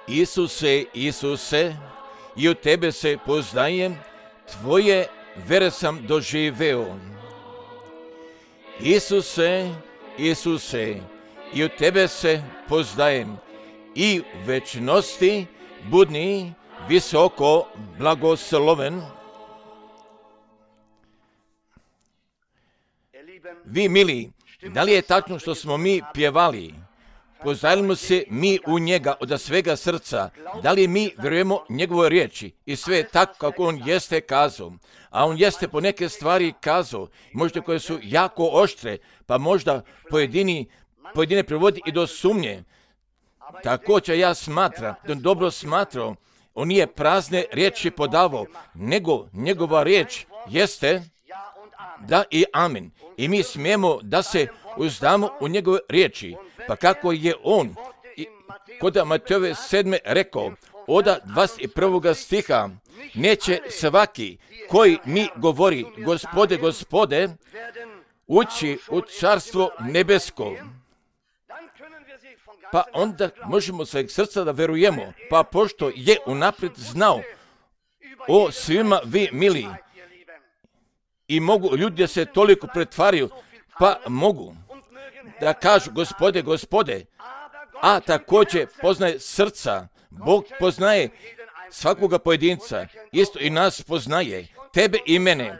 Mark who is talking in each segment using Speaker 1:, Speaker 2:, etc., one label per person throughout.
Speaker 1: Isuse, Isuse, i u tebe se poznajem, tvoje vere sam doživeo. Isuse, Isuse, i u tebe se poznajem, i u večnosti budni visoko blagosloven. Vi mili, da li je tačno što smo mi pjevali? Poznajemo se mi u njega od svega srca, da li mi vjerujemo njegovoj riječi i sve tako kako on jeste kazao, a on jeste po neke stvari kazao, možda koje su jako oštre, pa možda pojedine privodi i do sumnje. Također ja smatram, da on dobro smatrao, on nije prazne riječi podavao, nego njegova riječ jeste da i amen. I mi smijemo da se uzdamo u njegove riječi. Pa kako je on kod Matejove 7. rekao, od 21. stiha, neće svaki koji mi govori, Gospode, Gospode, ući u carstvo nebesko. Pa onda možemo svojeg srca da verujemo, pa pošto je unaprijed znao o svima vi mili, i mogu ljudi da se toliko pretvaraju, pa mogu da kažu Gospode, Gospode, a također poznaje srca. Bog poznaje svakoga pojedinca, isto i nas poznaje, tebe i mene,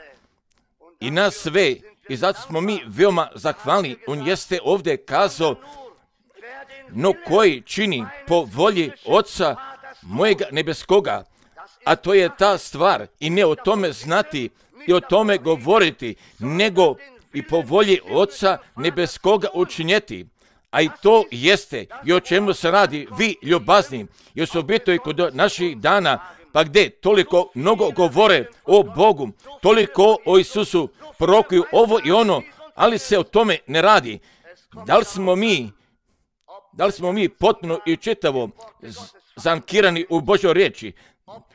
Speaker 1: i nas sve, i zato smo mi veoma zahvalni. On jeste ovdje kazao, no koji čini po volji Oca mojega nebeskoga, a to je ta stvar, i ne o tome znati i o tome govoriti, nego i po volji Oca nebeskoga učinjeti. A i to jeste i o čemu se radi, vi ljubazni, i osobito i kod naših dana, pa gdje toliko mnogo govore o Bogu, toliko o Isusu, prorokuju ovo i ono, ali se o tome ne radi. Da li smo mi potpuno i čitavo zankirani u Božoj riječi?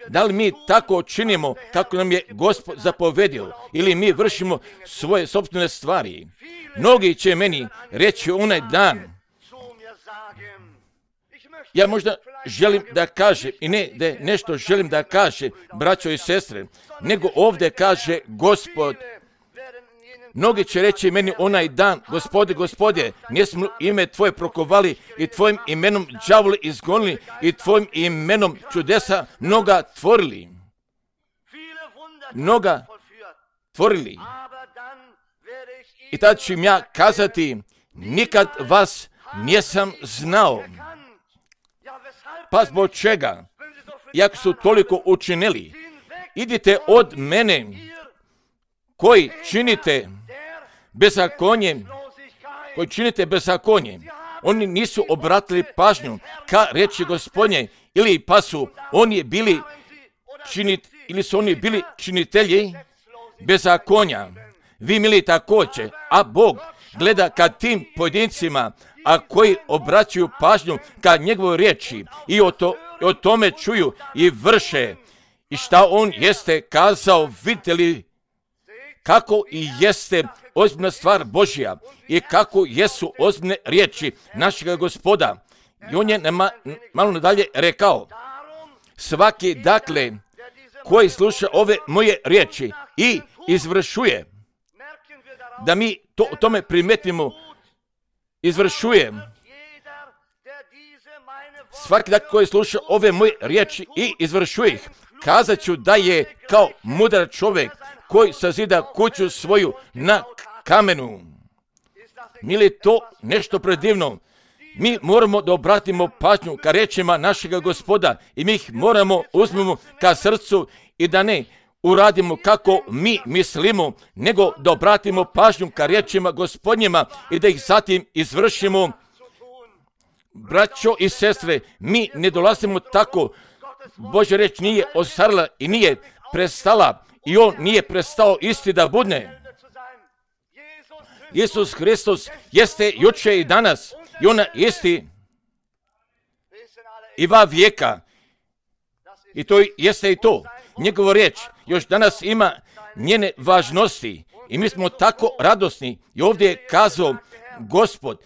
Speaker 1: Da li mi tako činimo kako nam je Gospod zapovedio, ili mi vršimo svoje sopstvene stvari? Mnogi će meni reći onaj dan, ja možda želim da kažem, i ne da nešto želim da kažem, braćo i sestre, nego ovdje kaže Gospod. Mnogi će reći meni onaj dan, Gospode, Gospode, nismo ime Tvoje prokovali i Tvojim imenom đavole izgonili i Tvojim imenom čudesa mnoga tvorili. I tad ću im ja kazati, nikad vas nisam znao. Pa zbog čega? Jak su toliko učinili, idite od mene, koji činite bezakonje. Oni nisu obratili pažnju ka reći Gospodnje, ili pa su oni bili činitelji bezakonja. Vi mili također, a Bog gleda ka tim pojedincima, a koji obraćaju pažnju ka njegovoj riječi i o tome čuju i vrše. I šta on jeste kazao, vidite li kako i jeste ozbiljna stvar Božja i kako jesu ozbiljne riječi našega Gospoda. I on je malo nadalje rekao, svaki dakle koji sluša ove moje riječi i izvršuje, da mi o tome primetimo, izvršuje. Svaki dakle koji sluša ove moje riječi i izvršuje ih, kazat ću da je kao mudar čovjek koji sazida kuću svoju na kamenu. Mili, to nešto predivno. Mi moramo da obratimo pažnju ka riječima našega Gospoda i mi ih moramo uzmemo ka srcu i da ne uradimo kako mi mislimo, nego da obratimo pažnju ka riječima Gospodnjima i da ih zatim izvršimo. Braćo i sestre, mi ne dolazimo tako. Božja riječ nije ostarila i nije prestala i on nije prestao isti da budne. Isus Hristos jeste juče i danas i ona isti i va vijeka. I to jeste i to. Njegova riječ još danas ima njene važnosti i mi smo tako radosni. I ovdje je kazao Gospod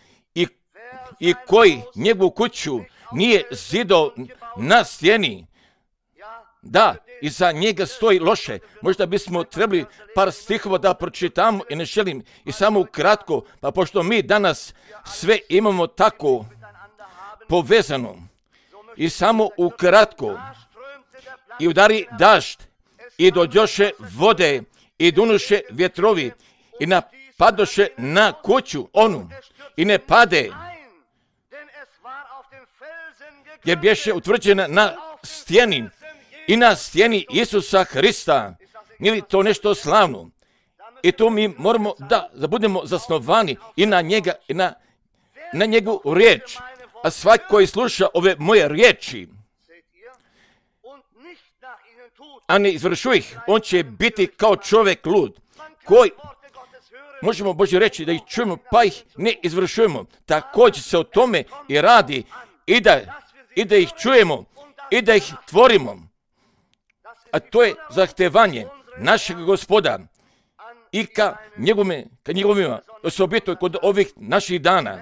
Speaker 1: i koji njegovu kuću nije zidao na stijeni. Da, iza njega stoji loše. Možda bismo trebali par stihova da pročitamo i ne želim. I samo ukratko, pa pošto mi danas sve imamo tako povezano. I samo ukratko. I udari dažd. I dođoše vode. I dunuše vjetrovi. I napadoše na kuću onu. I ne pade. Jer bješe utvrđena na stijeni. I na stijeni Isusa Hrista. Nije li to nešto slavno? I to mi moramo da budemo zasnovani i na njega, i na njegovu riječ. A svaki koji sluša ove moje riječi, a ne izvršuje ih, on će biti kao čovjek lud, koji, možemo Bože reći da ih čujemo, pa ih ne izvršujemo. Također se o tome i radi, i da ih čujemo, i da ih tvorimo. A to je zahtevanje našeg Gospoda i ka njegovima, osobito kod ovih naših dana.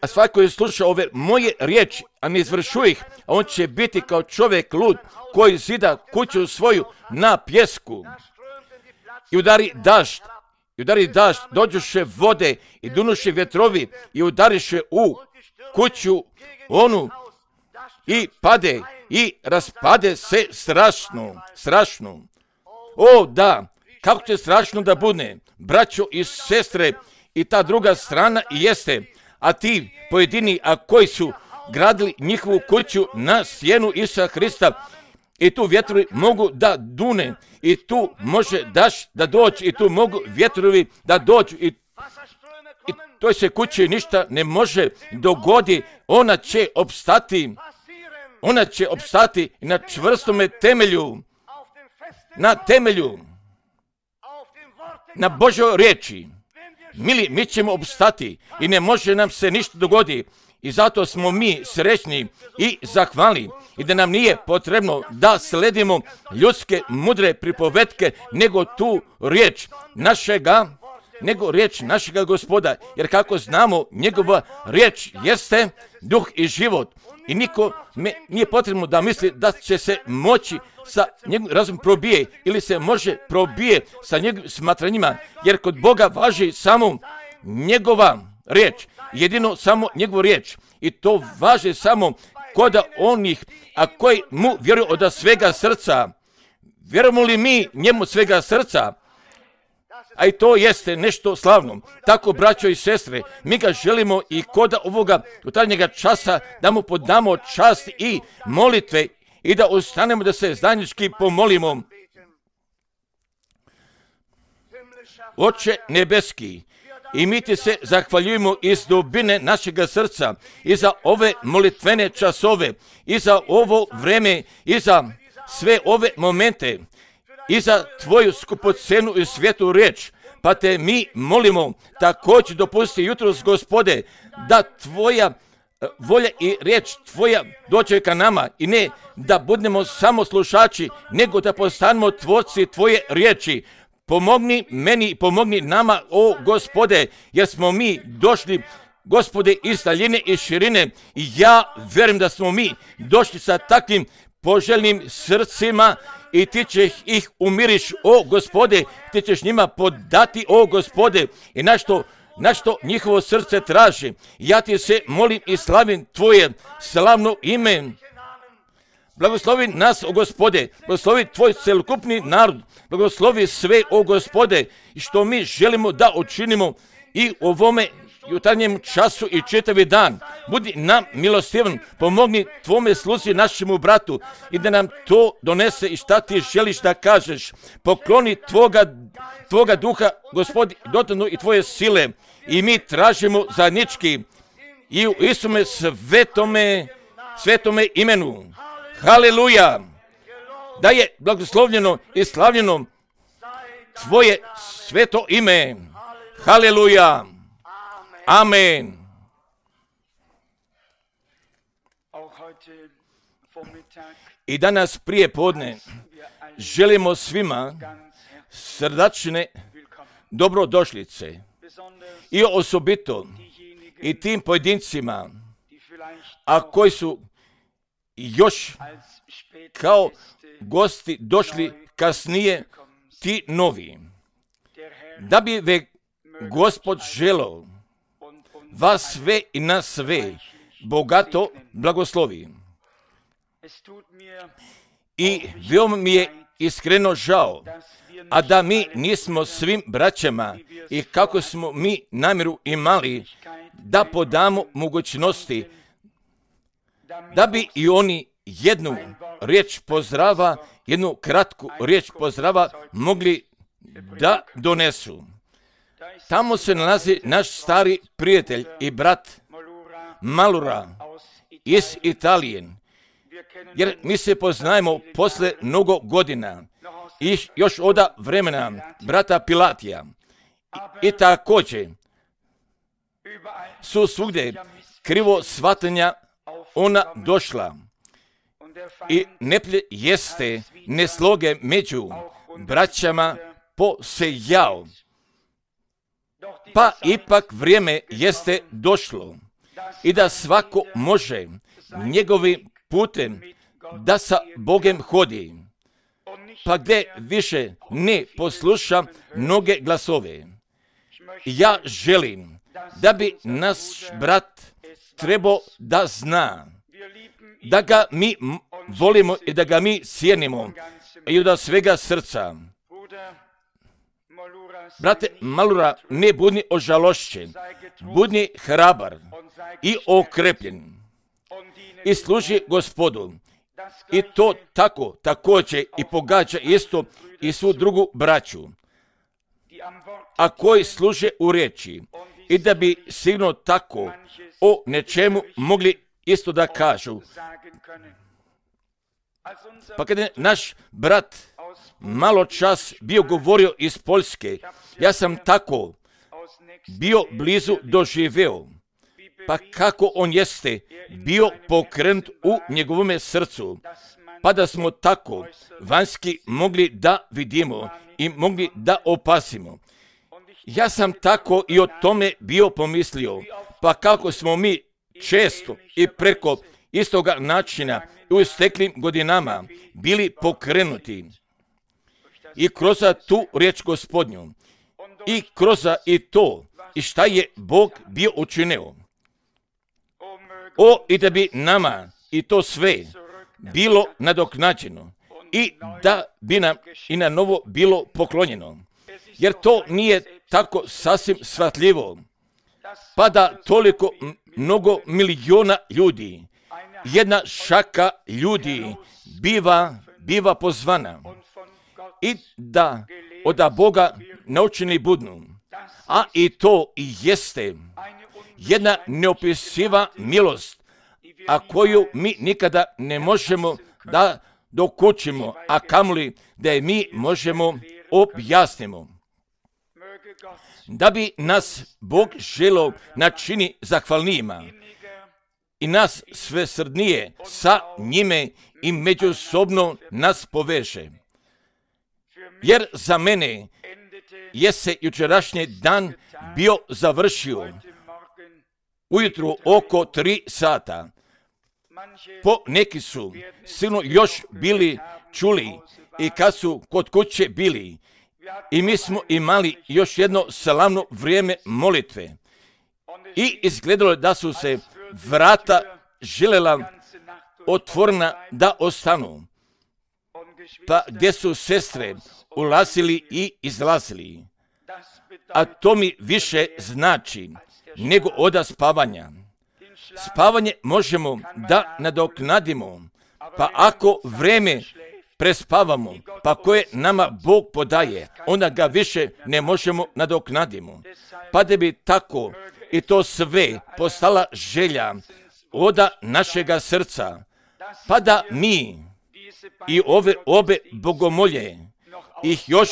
Speaker 1: A svaki koji sluša ove moje riječi, a ne izvršuje ih, a on će biti kao čovjek lud koji zida kuću svoju na pjesku. I udari dažd, dođuše vode i dunuše vjetrovi i udariše u kuću onu i pade i raspade se strašno. O da, kako će strašno da bude, braćo i sestre, i ta druga strana i jeste, a ti pojedini, a koji su gradili njihovu kuću na stijenu Isusa Hrista, i tu vjetrovi mogu da dune, i tu može dažd da dođe, i tu mogu vjetrovi da dođu, i toj se kući ništa ne može dogodi, ona će opstati na čvrstome temelju, na Božoj riječi. Mili, mi ćemo opstati i ne može nam se ništa dogoditi. I zato smo mi srećni i zahvalni i da nam nije potrebno da sledimo ljudske mudre pripovetke, nego tu riječ našega Gospoda. Jer kako znamo, njegova riječ jeste duh i život. I niko nije potrebno da misli da će se moći sa njegovim razum probije ili se može probije sa njegovim smatranjima. Jer kod Boga važi samo njegova riječ. Jedino samo njegovu riječ. I to važi samo kod onih, a koji mu vjeruju od svega srca. Vjerujemo li mi njemu svega srca? A i to jeste nešto slavno. Tako, braćo i sestre, mi ga želimo i kod ovoga jutarnjega časa da mu podamo čast i molitve i da ostanemo da se zajednički pomolimo. Oče nebeski, i mi ti se zahvaljujemo iz dubine našega srca i za ove molitvene časove, i za ovo vreme, i za sve ove momente, i za tvoju skupocenu i svetu riječ. Pa te mi molimo, također dopusti jutros, Gospode, da tvoja volja i riječ tvoja dođe ka nama i ne da budemo samo slušači, nego da postanemo tvorci tvoje riječi. Pomogni meni i pomogni nama, o Gospode, jer smo mi došli, Gospode, iz daljine i širine, i ja vjerujem da smo mi došli sa takvim poželjnim srcima i ti ćeš ih umiriš, o Gospode, ti ćeš njima podati, o Gospode, i na što njihovo srce traži. Ja ti se molim i slavim tvoje slavno ime. Blagoslovi nas, o Gospode, blagoslovi tvoj celokupni narod, blagoslovi sve, o Gospode, i što mi želimo da učinimo i u ovome jutarnjem času i čitavi dan. Budi nam milostivan, pomogni tvome sluzi našemu bratu i da nam to donese i šta ti želiš da kažeš. Pokloni tvoga duha, Gospodi, dodanu i tvoje sile, i mi tražimo zajednički i u Isume svetome imenu. Haleluja! Da je blagoslovljeno i slavljeno tvoje sveto ime. Haleluja! Amen. I danas prije podne želimo svima srdačne dobrodošlice i osobito i tim pojedincima a koji su još kao gosti došli kasnije, ti novi. Da bi Gospod želeo vas sve i nas sve bogato blagoslovi. I veoma mi je iskreno žao, a da mi nismo svim braćama i kako smo mi namjeru imali da podamo mogućnosti da bi i oni jednu riječ pozdrava, jednu kratku riječ pozdrava mogli da donesu. Tamo se nalazi naš stari prijatelj i brat Malura iz Italije, jer mi se poznajemo posle mnogo godina i još od vremena brata Pilatija. I također su svugdje krivo shvatanja ona došla i neplje jeste nesloge među braćama posejao. Pa ipak vrijeme jeste došlo i da svako može njegovim putem da sa Bogem hodi, pa gdje više ne posluša mnoge glasove. Ja želim da bi naš brat trebao da zna da ga mi volimo i da ga mi cijenimo i od svega srca. Brate Malura, ne budi ožalošćen, budi hrabar i okrepljen i služi Gospodu. I to tako također i pogađa isto i svu drugu braću, a koji služe u riječi, i da bi sigurno tako o nečemu mogli isto da kažu. Pa kad je naš brat malo čas bio govorio iz Poljske, ja sam tako bio blizu doživeo, pa kako on jeste bio pokrenut u njegovome srcu, pa da smo tako vanjski mogli da vidimo i mogli da opasimo. Ja sam tako i o tome bio pomislio, pa kako smo mi često i preko istoga načina u isteklim godinama bili pokrenuti i kroz tu riječ Gospodnju i kroz i to i šta je Bog bio učinio. I da bi nama i to sve bilo nadoknađeno i da bi nam i na novo bilo poklonjeno. Jer to nije tako sasvim shvatljivo, pa da toliko mnogo miliona ljudi, jedna šaka ljudi biva pozvana i da od Boga naučeni budnu. A i to i jeste jedna neopisiva milost, a koju mi nikada ne možemo da dokučimo, a kamoli da je mi možemo objasnimo. Da bi nas Bog želeo načini zahvalnijima i nas sve srdnije sa njime i međusobno nas poveže. Jer za mene je se jučerašnji dan bio završio ujutru oko 3 sata. Po neki su sigurno još bili čuli i kad su kod kuće bili. I mi smo imali još jedno slavno vrijeme molitve. I izgledalo da su se vrata željela otvorena da ostanu. Pa gdje su sestre ulazili i izlazili. A to mi više znači nego od spavanja. Spavanje možemo da nadoknadimo, pa ako vrijeme prespavamo, pa koje nama Bog podaje, onda ga više ne možemo nadoknadimo. Pa da bi tako i to sve postala želja od našega srca, pa da mi i ove obe bogomolje ih još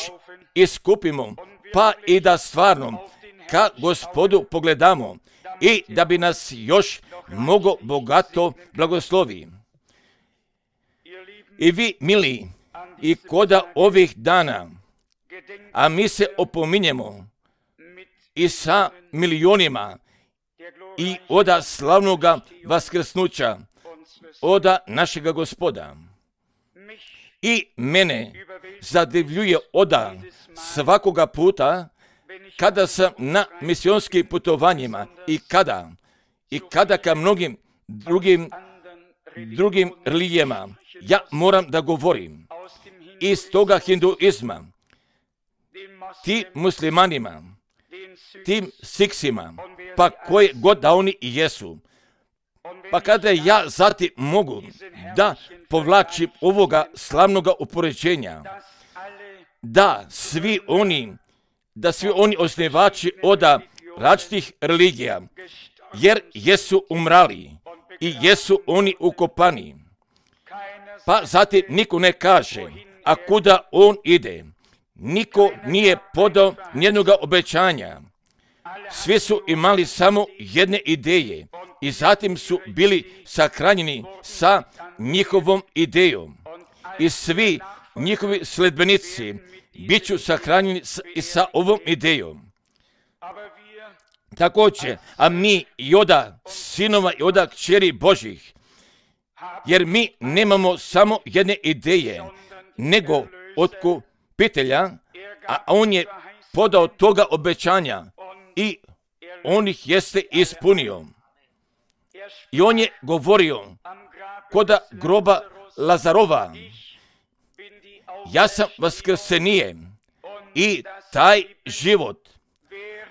Speaker 1: iskupimo, pa i da stvarno ka Gospodu pogledamo i da bi nas još mnogo bogato blagoslovi. I vi, mili, i koda ovih dana, a mi se opominjemo i sa milionima i oda slavnoga vaskrsnuća, oda našega Gospoda. I mene zadivljuje oda svakoga puta kada sam na misionskim putovanjima i kada ka mnogim drugim religijama ja moram da govorim iz toga hinduizma, tim muslimanima, tim siksima, pa koje god da oni i jesu. Pa kada ja zatim mogu da povlačim ovoga slavnoga upoređenja, da svi oni osnivači oda različitih religija, jer jesu umrali i jesu oni ukopani. Pa zatim niko ne kaže, a kuda on ide. Niko nije podao nijednoga obećanja. Svi su imali samo jedne ideje i zatim su bili sahranjeni sa njihovom idejom. I svi njihovi sledbenici bit ću sahranjeni i sa ovom idejom. Također, a mi i oda sinova i oda kćeri Božih, jer mi nemamo samo jedne ideje, nego otkupitelja, a on je podao toga obećanja i on ih jeste ispunio. I on je govorio koda groba Lazarova, ja sam vaskrsenije i taj život,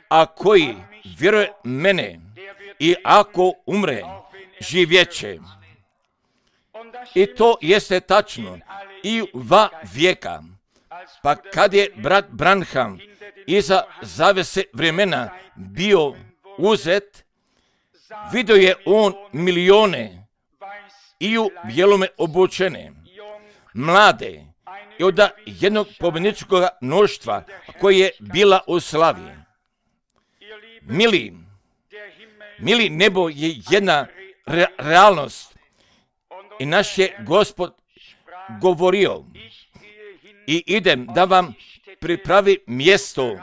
Speaker 1: a koji vjeruje mene i ako umre, živjeće. I to jeste tačno i u 2 vijeka. Pa kad je brat Branham iza zavese vremena bio uzet, vidio je on milione i u bijelome obučene, mlade i od jednog pobjedničkog mnoštva koje je bila u slavi. Mili, nebo je jedna realnost i naš je Gospod govorio i idem da vam pripravi mjesto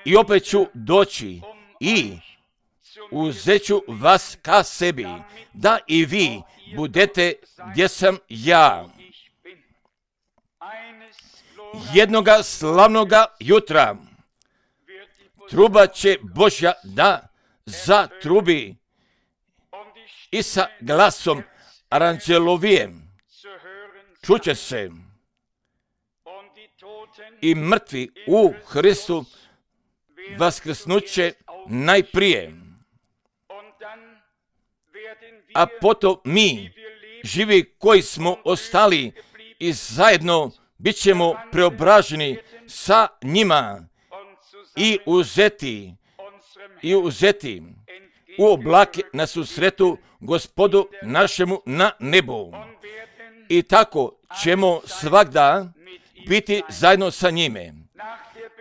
Speaker 1: i opet ću doći i uzet ću vas ka sebi, da i vi budete gdje sam ja. Jednoga slavnoga jutra truba će Božja da zatrubi i sa glasom aranđelovijem čuće se i mrtvi u Hristu vaskrsnuće najprije, a potom mi, živi koji smo ostali i zajedno bit ćemo preobraženi sa njima i uzeti u oblake na susretu Gospodu našemu na nebu. I tako ćemo svagda biti zajedno sa njime.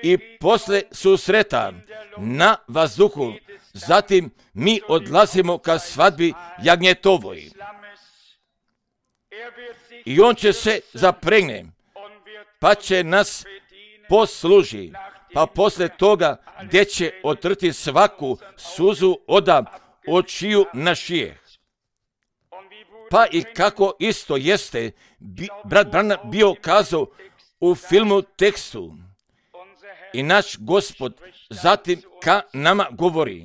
Speaker 1: I posle susreta na vazduhu, zatim mi odlazimo ka svadbi jagnjetovoj. I on će se zapregne, pa će nas posluži, pa posle toga gdje će otrti svaku suzu oda očiju našijeh. Pa i kako isto jeste, brat Branham bio kazao u filmu tekstu. I naš Gospod zatim ka nama govori,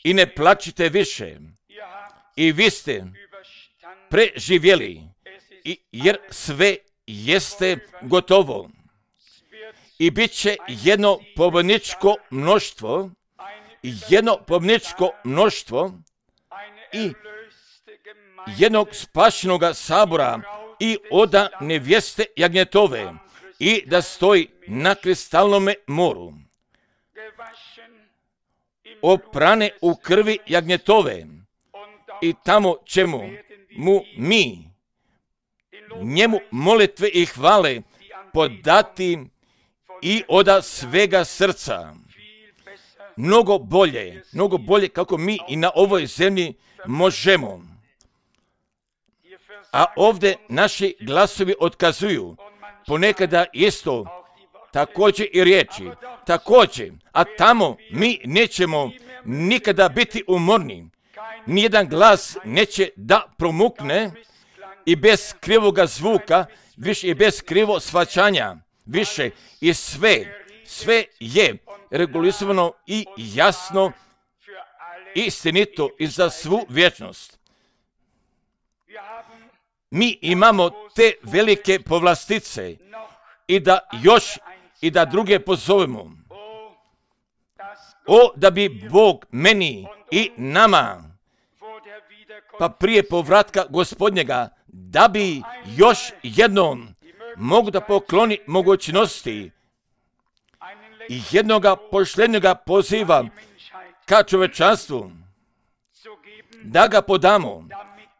Speaker 1: i ne plačite više, i vi ste preživjeli, jer sve jeste gotovo. I bit će jedno pobjedničko mnoštvo i jednog spašenoga sabora i oda nevjeste jagnjetove i da stoji na kristalnome moru. Oprane u krvi jagnjetove i tamo ćemo mi njemu molitve i hvale podati i oda svega srca. Mnogo bolje kako mi i na ovoj zemlji možemo. A ovdje naši glasovi otkazuju, ponekada isto također i riječi, također, a tamo mi nećemo nikada biti umorni. Nijedan glas neće da promukne i bez krivoga zvuka, više i bez krivo shvaćanja, više i sve je regulisano i jasno, istinito i za svu vječnost. Mi imamo te velike povlastice i da još i da druge pozovemo. O, da bi Bog meni i nama, pa prije povratka Gospodnjega, da bi još jednom mogu da pokloni mogućnosti i jednoga poštenjega poziva ka čovečanstvu, da ga podamo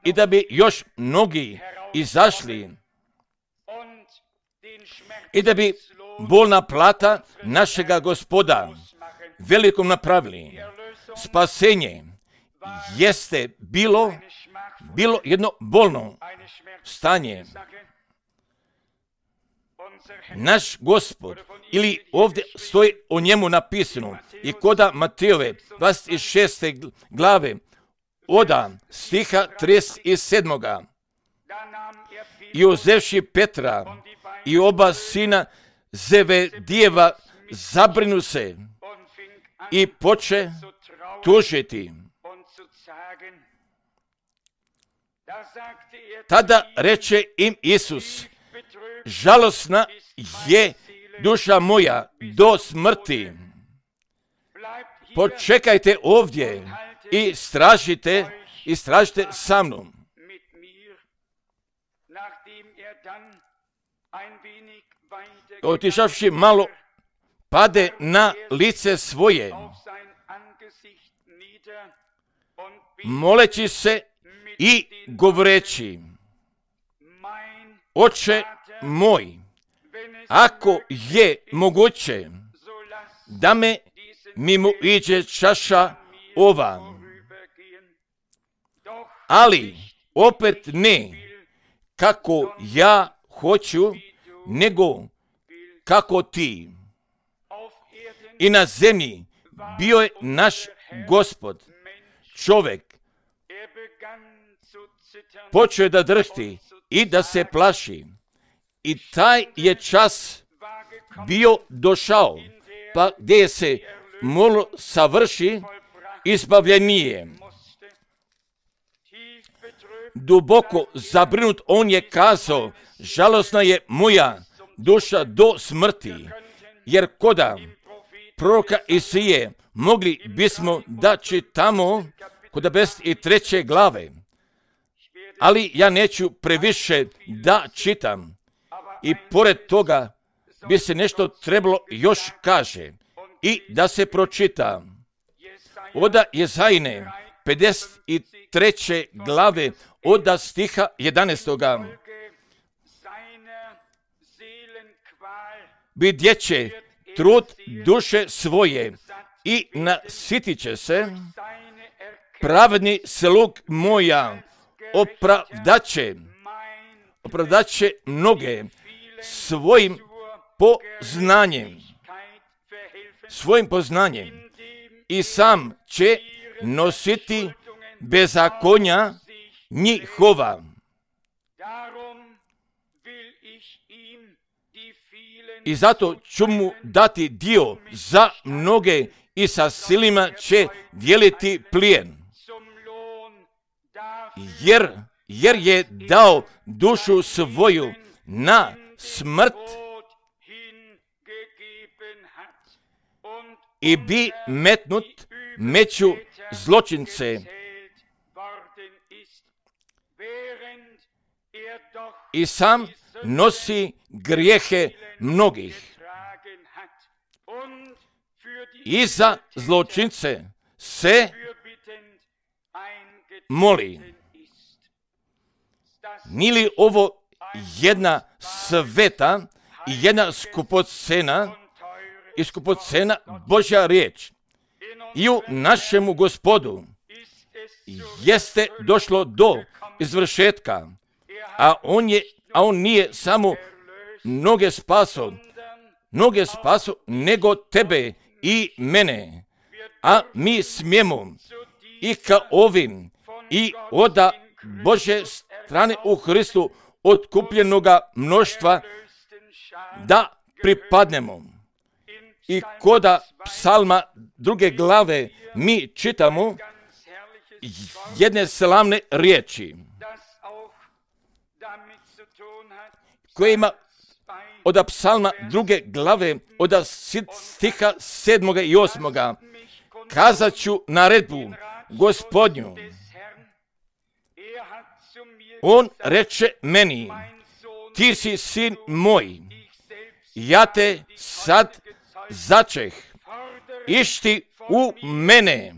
Speaker 1: i da bi još mnogi izašli i da bi bolna plata našega Gospoda velikom napravili. Spasenje jeste bilo jedno bolno stanje. Naš Gospod, ili ovdje stoji o njemu napisano, i koda Matejove 26. glave, oda stiha 37. I uzevši Petra i oba sina Zebedijeva, zabrinu se i poče tužiti. Tada reče im Isus: žalosna je duša moja do smrti. Počekajte ovdje i istražite sa mnom. Otišavši malo, pade na lice svoje, moleći se i govoreći: Oče moj, ako je moguće da me mimo iđe čaša ova, ali opet ne kako ja hoću, nego kako ti. I na zemlji bio je naš Gospod, čovjek, počeo je da drhti i da se plaši. I taj je čas bio došao, pa gdje se moralo savrši izbavljenje. Duboko zabrinut on je kazao: žalosna je moja duša do smrti, jer koda proroka Isije mogli bismo da čitamo kod 53. glave, ali ja neću previše da čitam. I pored toga bi se nešto trebalo još kaže i da se pročita. Oda Jezajine 53. glave oda stiha 11. Vidjet će trud duše svoje i nasitit će se, pravedni slug moja opravdaće mnoge svojim poznanjem i sam će nositi bezakonja njihova. I zato ću mu dati dio za mnoge i sa silima će dijeliti plijen. Jer je dao dušu svoju na smrt i bi metnut među zločince. I sam nosi grijehe mnogih. I za zločince se moli. Nije li ovo jedna sveta i jedna skupocena Božja riječ? I u našemu Gospodu jeste došlo do izvršetka, a on nije samo mnoge spaso, mnoge spasu nego tebe i mene. A mi smijemo i ka ovim i oda Bože strane u Hristu otkupljenoga mnoštva da pripadnemo. I koda psalma 2. glave mi čitamo jedne slavne riječi koje ima od psalma 2. glave od stiha 7. i 8. Kazat ću naredbu Gospodnju. On reče meni, ti si sin moj, ja te sad začeh, išti u mene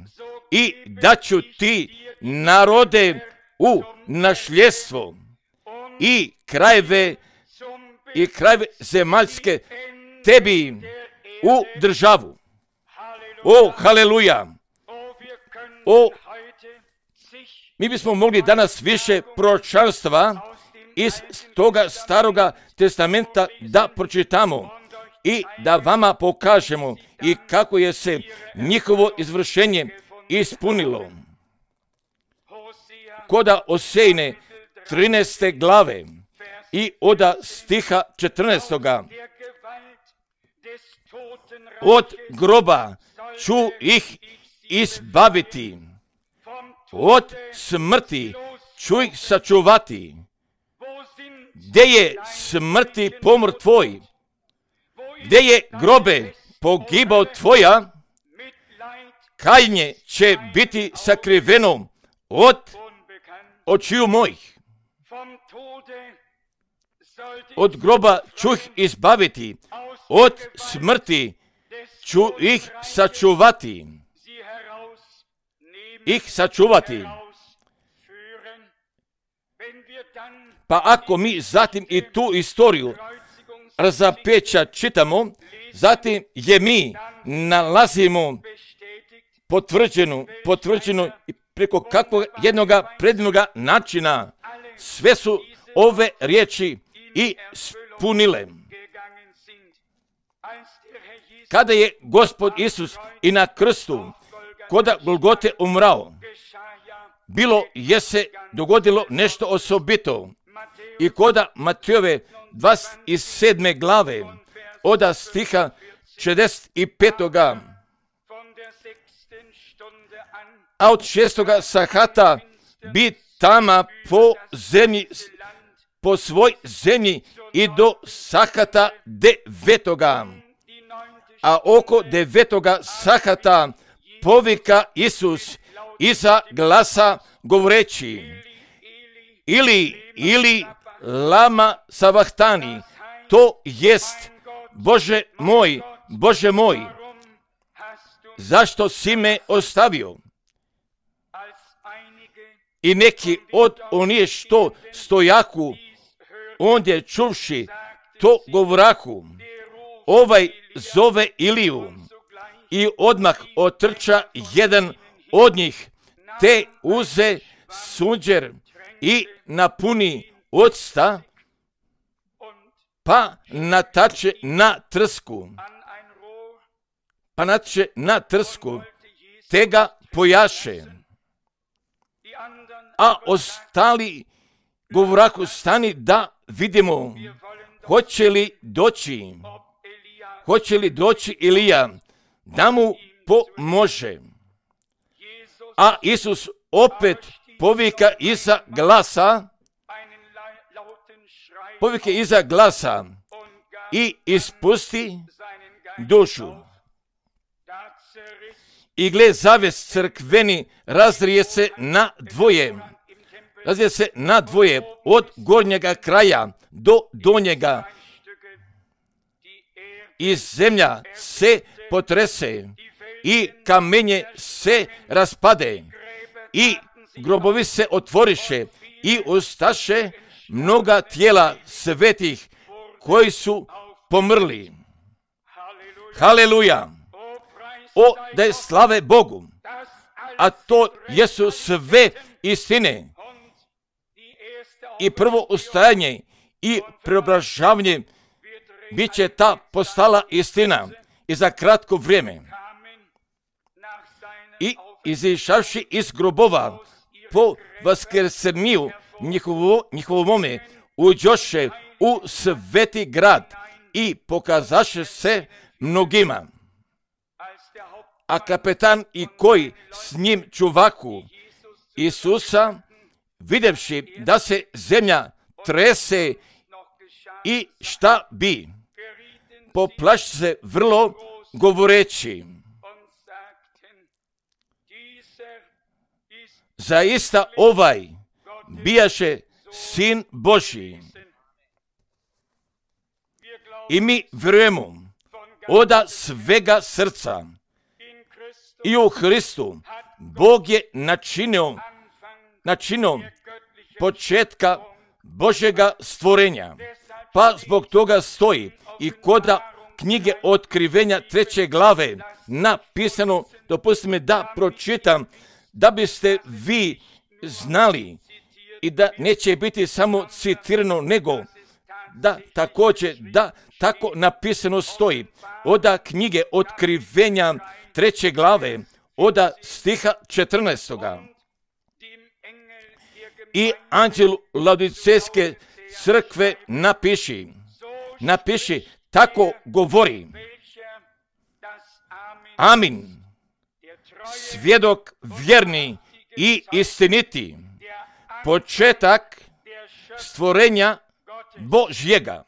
Speaker 1: i daću ti narode u našljestvo i krajeve zemaljske tebi u državu. O, haleluja! Mi bismo mogli danas više proročanstva iz toga staroga testamenta da pročitamo i da vama pokažemo i kako je se njihovo izvršenje ispunilo. Koda Osejne 13. glave i od stiha 14. Od groba ću ih izbaviti, od smrti ću ih sačuvati. Gdje je smrti pomor tvoj? Gdje je grobe pogibao tvoja? Kajnje će biti sakriveno od očiju mojih. Od groba ću ih izbaviti, od smrti ću ih sačuvati. Pa ako mi zatim i tu istoriju razapeća čitamo, zatim je mi nalazimo potvrđenu i preko kakvog jednoga predivnoga načina sve su ove riječi i spunile. Kada je Gospod Isus i na krstu koda Golgote umrao, bilo je se dogodilo nešto osobito. I koda Matejove 27. glave od stiha 65. A od 6. sahata bi tama po zemlji, po svoj zemlji i do sahata 9. A oko 9. sahata povika Isus iza glasa govoreći, ili lama savahtani, to jest Bože moj, zašto si me ostavio? I neki od onih što stojaku, ondje čuvši to govoraku, ovaj zove Iliju. I odmah otrča jedan od njih, te uze sunđer i napuni octa, pa natače na trsku, te ga pojaše. A ostali govoraku, stani da vidimo, hoće li doći Ilija da mu pomože. A Isus opet povika iza glasa i ispusti dušu. I gle, zaves crkveni razrije se na dvoje od gornjega kraja do donjega. I zemlja se potrese i kamenje se raspade i grobovi se otvoriše i ustaše mnoga tijela svetih koji su pomrli. Haleluja! O, da je slave Bogu! A to jesu sve istine. I prvo ustajanje i preobražavanje bit će ta postala istina i za kratko vrijeme. I izišavši iz grobova po vaskrsenju njihovome, uđoše u sveti grad i pokazaše se mnogima. A kapetan i koji s njim čuvaku Isusa, videvši da se zemlja trese i šta bi, poplaši se vrlo govoreći: zaista ovaj bijaše Sin Božji. I mi vjerujemo od svega srca i u Hristu Bog je načinio početka Božjega stvorenja. Pa zbog toga stoji i kod knjige Otkrivenja 3. glave napisano, dopustite mi da pročitam, da biste vi znali i da neće biti samo citirano, nego da također da tako napisano stoji od knjige Otkrivenja 3. glave od stiha 14. I anđelu Laodicejske crkve napiši, tako govori: Amin, svjedok vjerni i istiniti, početak stvorenja Božjega.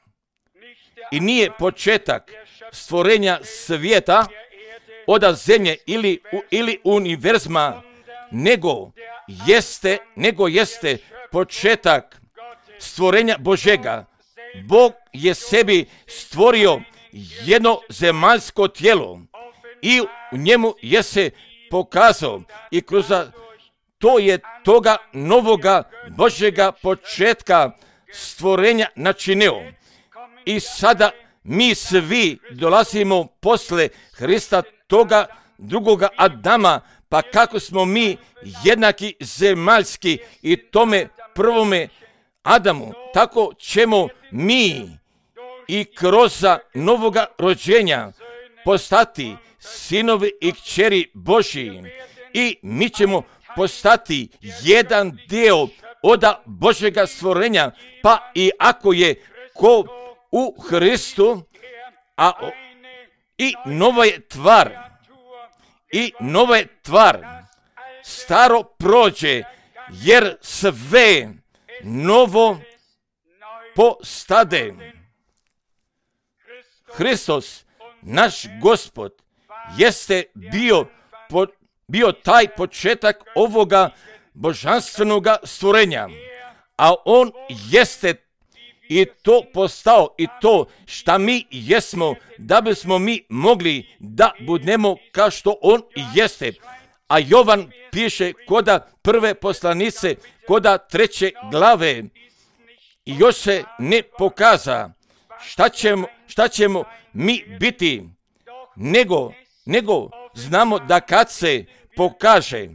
Speaker 1: I nije početak stvorenja svijeta od zemlje ili univerzuma, nego jeste početak stvorenja Božjega. Bog je sebi stvorio jedno zemaljsko tijelo i u njemu je se pokazao i kroz to je toga novoga Božjega početka stvorenja načinio. I sada mi svi dolazimo posle Hrista, toga drugoga Adama, pa kako smo mi jednaki zemaljski i tome prvome Adamu, tako ćemo mi i kroz novoga rođenja postati sinovi i kćeri Božji. I mi ćemo postati jedan dio od Božjega stvorenja, pa i ako je ko u Hristu, i nova je tvar, staro prođe, jer sve novo postade. Hristos, naš Gospod, jeste bio taj početak ovoga božanstvenoga stvorenja, a on jeste i to postao i to šta mi jesmo, da bismo mi mogli da budemo kao što on jeste. A Jovan piše koda prve poslanice, koda 3. glave, i još se ne pokaza šta ćemo mi biti, nego znamo da kad se pokaže,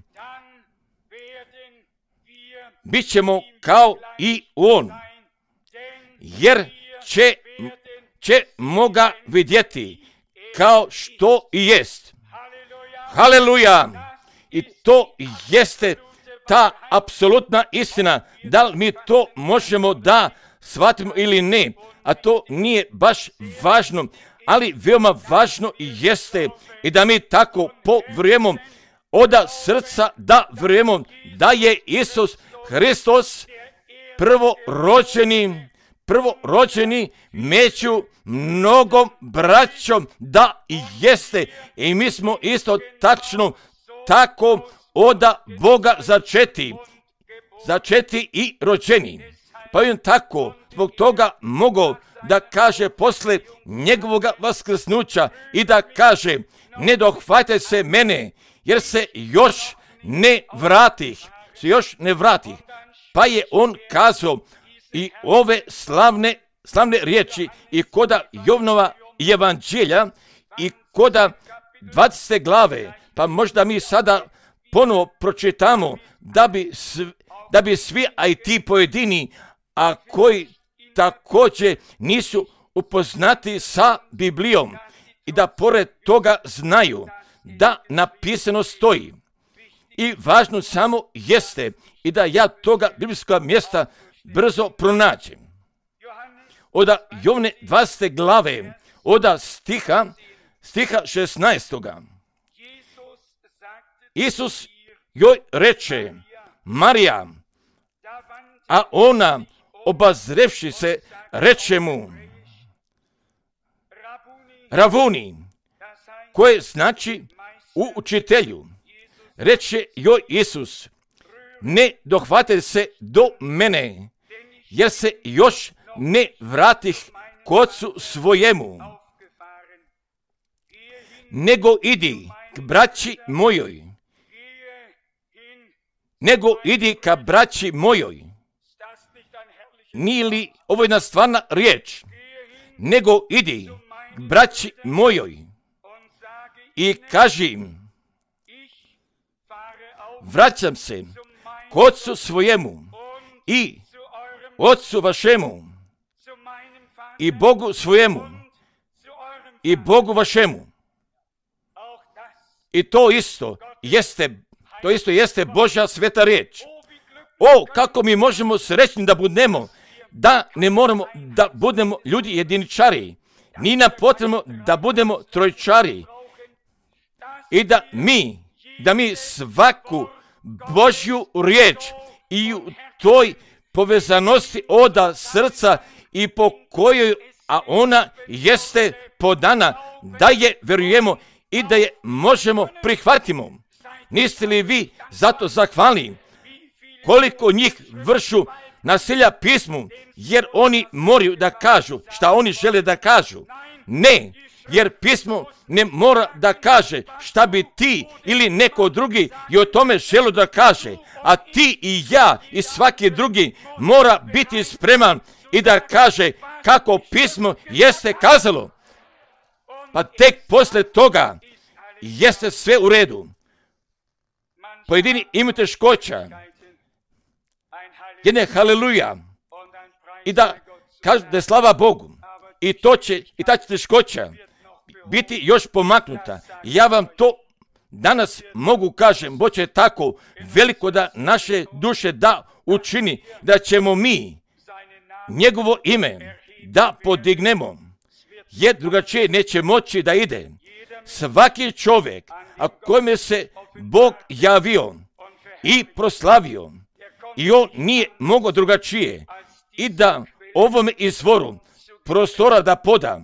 Speaker 1: bit ćemo kao i on, jer ćemo ga vidjeti kao što i jest. Haleluja! I to jeste ta apsolutna istina. Da li mi to možemo da shvatimo ili ne, a to nije baš važno, ali veoma važno jeste i da mi tako povjerujemo od srca, da vjerujemo da je Isus Hristos prvorođeni među mnogom braćom, da jeste. I mi smo isto tačno tako od Boga začeti i rođeni. Pa on tako zbog toga mogao da kaže posle njegovog vaskrsnuća i da kaže: ne dohvate se mene, jer se još ne vratih. Pa je on kazao i ove slavne riječi i koda Jovnova evanđelja i koda 20. glave, pa možda mi sada ponovo pročitamo da bi svi, a i ti pojedini, a koji također nisu upoznati sa Biblijom i da pored toga znaju da napisano stoji. I važno samo jeste i da ja toga biblijskog mjesta brzo pronađem. Od Jovne 20. glave, od stiha 16. Isus joj reče, Marija, a ona, obazrevši se, reče mu, Ravuni, koje znači učitelju. Reče joj Isus, ne dohvate se do mene, jer se još ne vratih k Ocu svojemu, nego idi k braći mojoj. Nego idi ka braći mojoj. Nije li ovo jedna stvarna riječ? Nego idi k braći mojoj i kaži im, vraćam se k Ocu svojemu i Ocu vašemu i Bogu svojemu i Bogu vašemu. I to isto jeste Božja sveta riječ. O, kako mi možemo srećni da budemo, da ne moramo da budemo ljudi jediničari. Nije nam potrebno da budemo trojčari. I da mi svaku Božju riječ i u toj povezanosti od srca i po kojoj, a ona jeste podana, da je vjerujemo i da je možemo prihvatimo. Niste li vi zato zahvalni koliko njih vršu nasilja pismu, jer oni moraju da kažu šta oni žele da kažu? Ne, jer pismo ne mora da kaže šta bi ti ili neko drugi i o tome želo da kaže, a ti i ja i svaki drugi mora biti spreman i da kaže kako pismo jeste kazalo. Pa tek posle toga jeste sve u redu. Pojedini imaju teškoća, jedne haleluja, i da kažu da je slava Bogu, i ta će teškoća biti još pomaknuta. Ja vam to danas mogu kažem, Bog će tako veliko da naše duše da učini, da ćemo mi njegovo ime da podignemo, jer drugačije neće moći da ide. Svaki čovjek, a kojime se Bog javio i proslavio, i on nije mogao drugačije, i da ovome izvoru prostora da poda,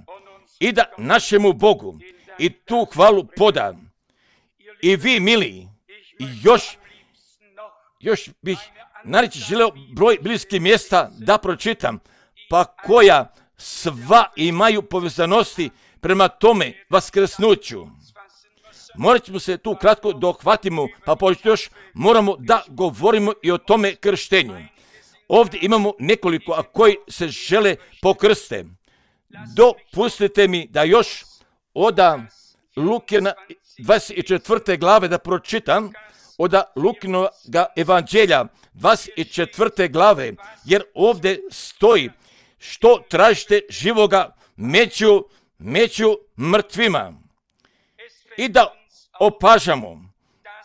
Speaker 1: i da našemu Bogu i tu hvalu poda. I vi, mili, još bih nareći želeo broj bliskih mjesta da pročitam, pa koja sva imaju povezanosti prema tome vaskrsnuću. Morat ćemo se tu kratko dohvatimo, pa pošto još moramo da govorimo i o tome krštenju. Ovdje imamo nekoliko, a koji se žele pokrste. Dopustite mi da još od Lukina 24. glave da pročitam, od Lukinog evanđelja 24. glave, jer ovdje stoji što tražite živoga među mrtvima. I da opažamo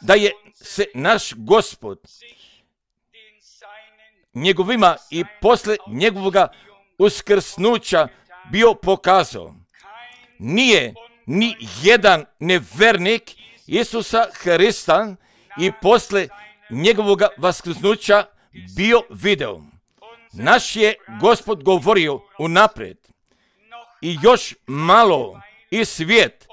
Speaker 1: da je se naš Gospod njegovima i posle njegovoga uskrsnuća bio pokazao. Nije ni jedan nevernik Isusa Hrista i posle njegovoga vaskrsnuća bio video. Naš je Gospod govorio unaprijed. I još malo i svijet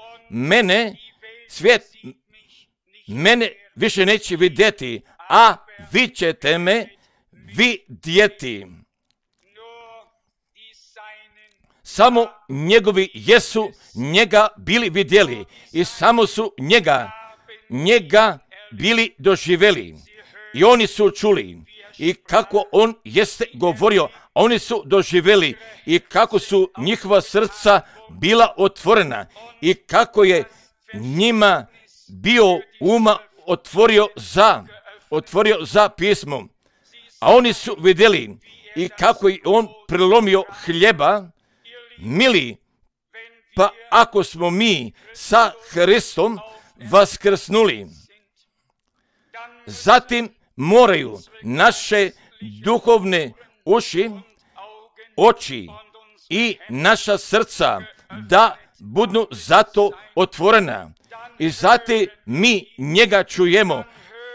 Speaker 1: mene više neće vidjeti, a vi ćete me vidjeti. Samo njegovi jesu njega bili vidjeli i samo su njega bili doživjeli. I oni su čuli i kako on jeste govorio, oni su doživjeli i kako su njihova srca bila otvorena i kako je njima bio uma otvorio za pismo. A oni su vidjeli i kako je on prelomio hljeba Mili, pa ako smo mi sa Hristom vaskrsnuli, zatim moraju naše duhovne oči i naša srca da budu zato otvorena. I zatim mi njega čujemo.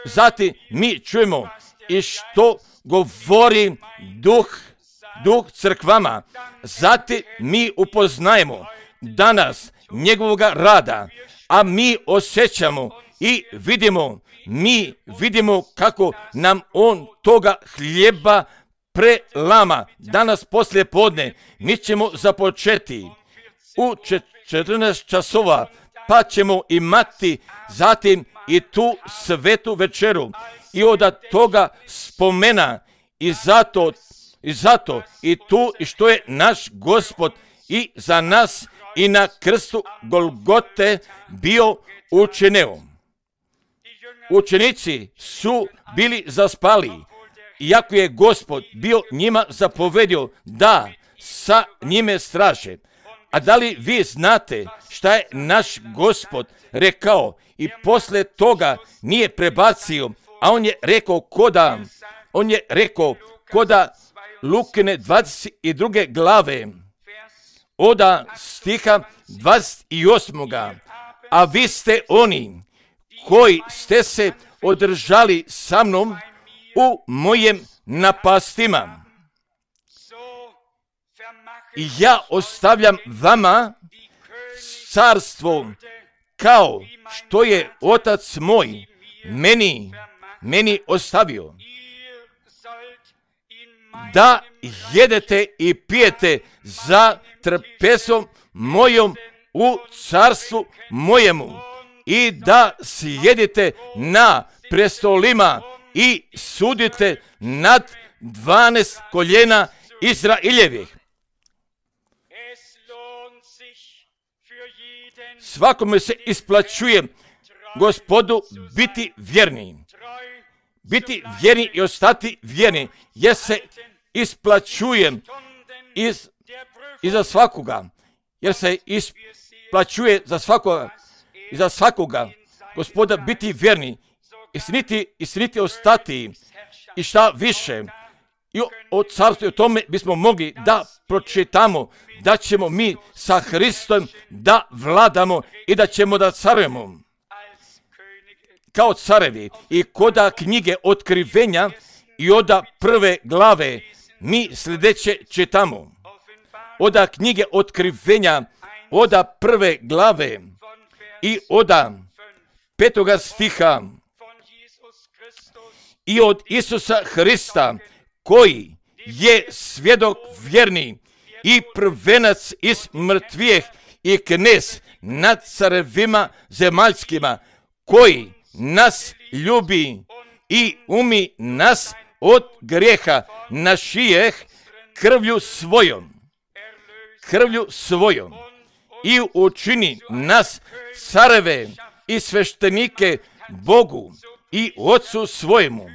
Speaker 1: Zatim mi čujemo i što govori duh crkvama. Zatim mi upoznajemo danas njegovoga rada, a mi osjećamo i vidimo kako nam on toga hljeba prelama. Danas poslije podne mi ćemo započeti u 14 časova, pa ćemo imati zatim i tu svetu večeru i od toga spomena i zato i tu i što je naš Gospod i za nas i na krstu Golgote bio učinio. Učenici su bili zaspali, iako je Gospod bio njima zapovedio da sa njime straže. A da li vi znate šta je naš Gospod rekao i posle toga nije prebacio, a on je rekao koda Lukine 22. glave od stiha 28. A vi ste oni koji ste se održali sa mnom u mojim napastima. I ja ostavljam vama carstvo kao što je Otac moj meni ostavio. Da jedete i pijete za trpesom mojom u carstvu mojemu i da sjedite na prestolima i sudite nad 12 koljena Izraeljevih. Svakome se isplaćuje Gospodu biti vjerni. Biti vjerni i ostati vjerni, jer se isplaćuje za svakoga. Jer se isplaćuje za svakoga. Gospoda biti vjerni, istiniti ostati i šta više. I o carstvu i o tome bismo mogli da pročitamo da ćemo mi sa Hristom da vladamo i da ćemo da carujemo kao carevi. I koda knjige Otkrivenja i od 1. glave mi sljedeće čitamo. Od knjige Otkrivenja od 1. glave i od 5. stiha i od Isusa Hrista, koji je svjedok vjerni i prvenac iz mrtvijeh i knez nad carevima zemaljskima, koji nas ljubi i umi nas od grijeha našijeh krvlju svojom i učini nas careve i sveštenike Bogu i Otcu svojemu.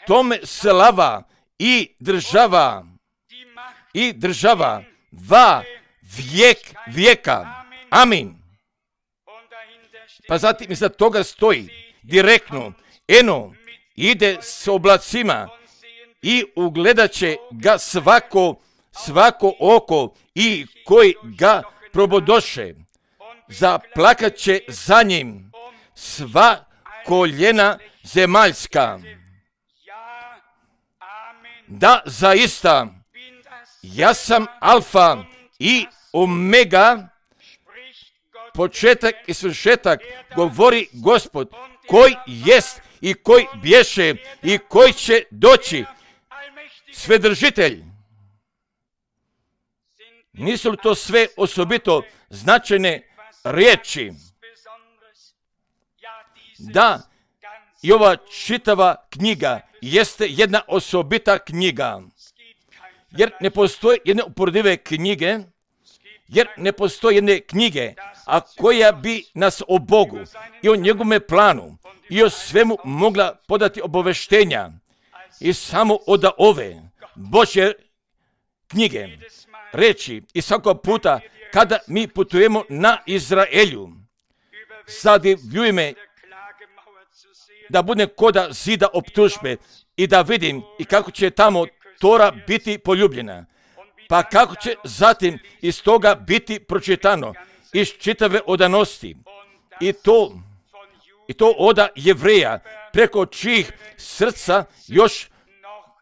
Speaker 1: Tome slava i država va vijek vijeka. Amin. Pa zatim iza toga stoji direktno, eno ide s oblacima i ugledat će ga svako oko i koji ga probodoše. Zaplakat će za njim sva koljena zemaljska. Da, zaista, ja sam Alfa i Omega, početak i svršetak, govori Gospod, koji jest i koji bješe i koji će doći, Svedržitelj. Nisu li to sve osobito značajne riječi? Da, i ova čitava knjiga jeste jedna osobita knjiga, jer ne postoje jedne uporedive knjige, jer ne postoje jedne knjige, a koja bi nas o Bogu i o njegovome planu i o svemu mogla podati obaveštenja i samo od ove Božje knjige reći i svakog puta kada mi putujemo na Izraelju, zadivljuje me da budem koda zida optužbe i da vidim i kako će tamo Tora biti poljubljena, pa kako će zatim iz toga biti pročitano iz čitave odanosti i to oda Jevreja, preko čijih srca još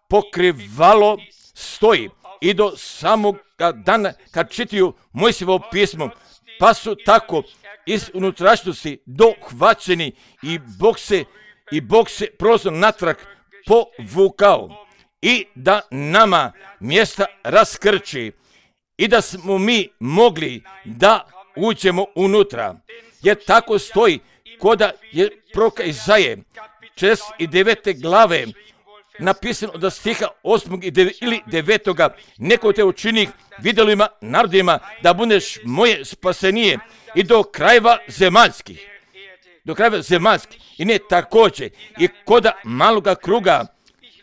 Speaker 1: pokrivalo stoji i do samog dana kad čitaju Mojsijevo pismo, pa su tako iz unutrašnjosti dohvaćeni i Bog se prozor natrag povukao i da nama mjesta raskrči i da smo mi mogli da uđemo unutra. Jer tako stoji koda je proroka Izaje 49. glave napisano od stiha 8. ili 9. neko te učini vidjelima narodima da budeš moje spasenije i do krajeva zemaljskih. I ne također i koda maloga kruga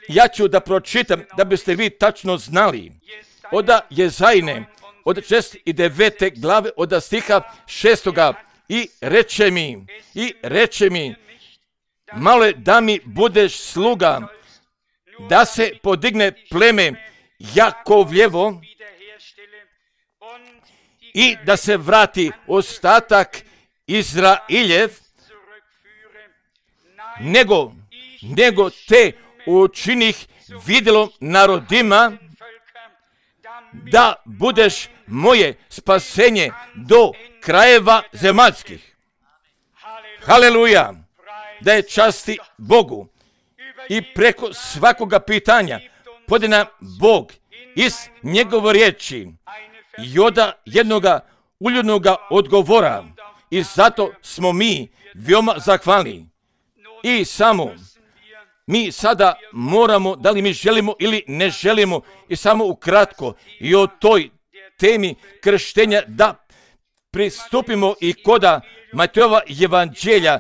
Speaker 1: ja ću da pročitam da biste vi tačno znali. Oda Jezajne od 69. glave od stiha 6. i reče mi malo je da mi budeš sluga, da se podigne pleme Jakovljevo i da se vrati ostatak Izrailjev, nego te učinih vidjelom narodima, da budeš moje spasenje do krajeva zemaljskih. Haleluja! Da je časti Bogu. I preko svakoga pitanja podi nam Bog iz njegove riječi i oda jednoga uljudnoga odgovora. I zato smo mi veoma zahvalni. I samo mi sada moramo, da li mi želimo ili ne želimo, i samo ukratko i o toj temi krštenja da pristupimo i koda Matejova evanđelja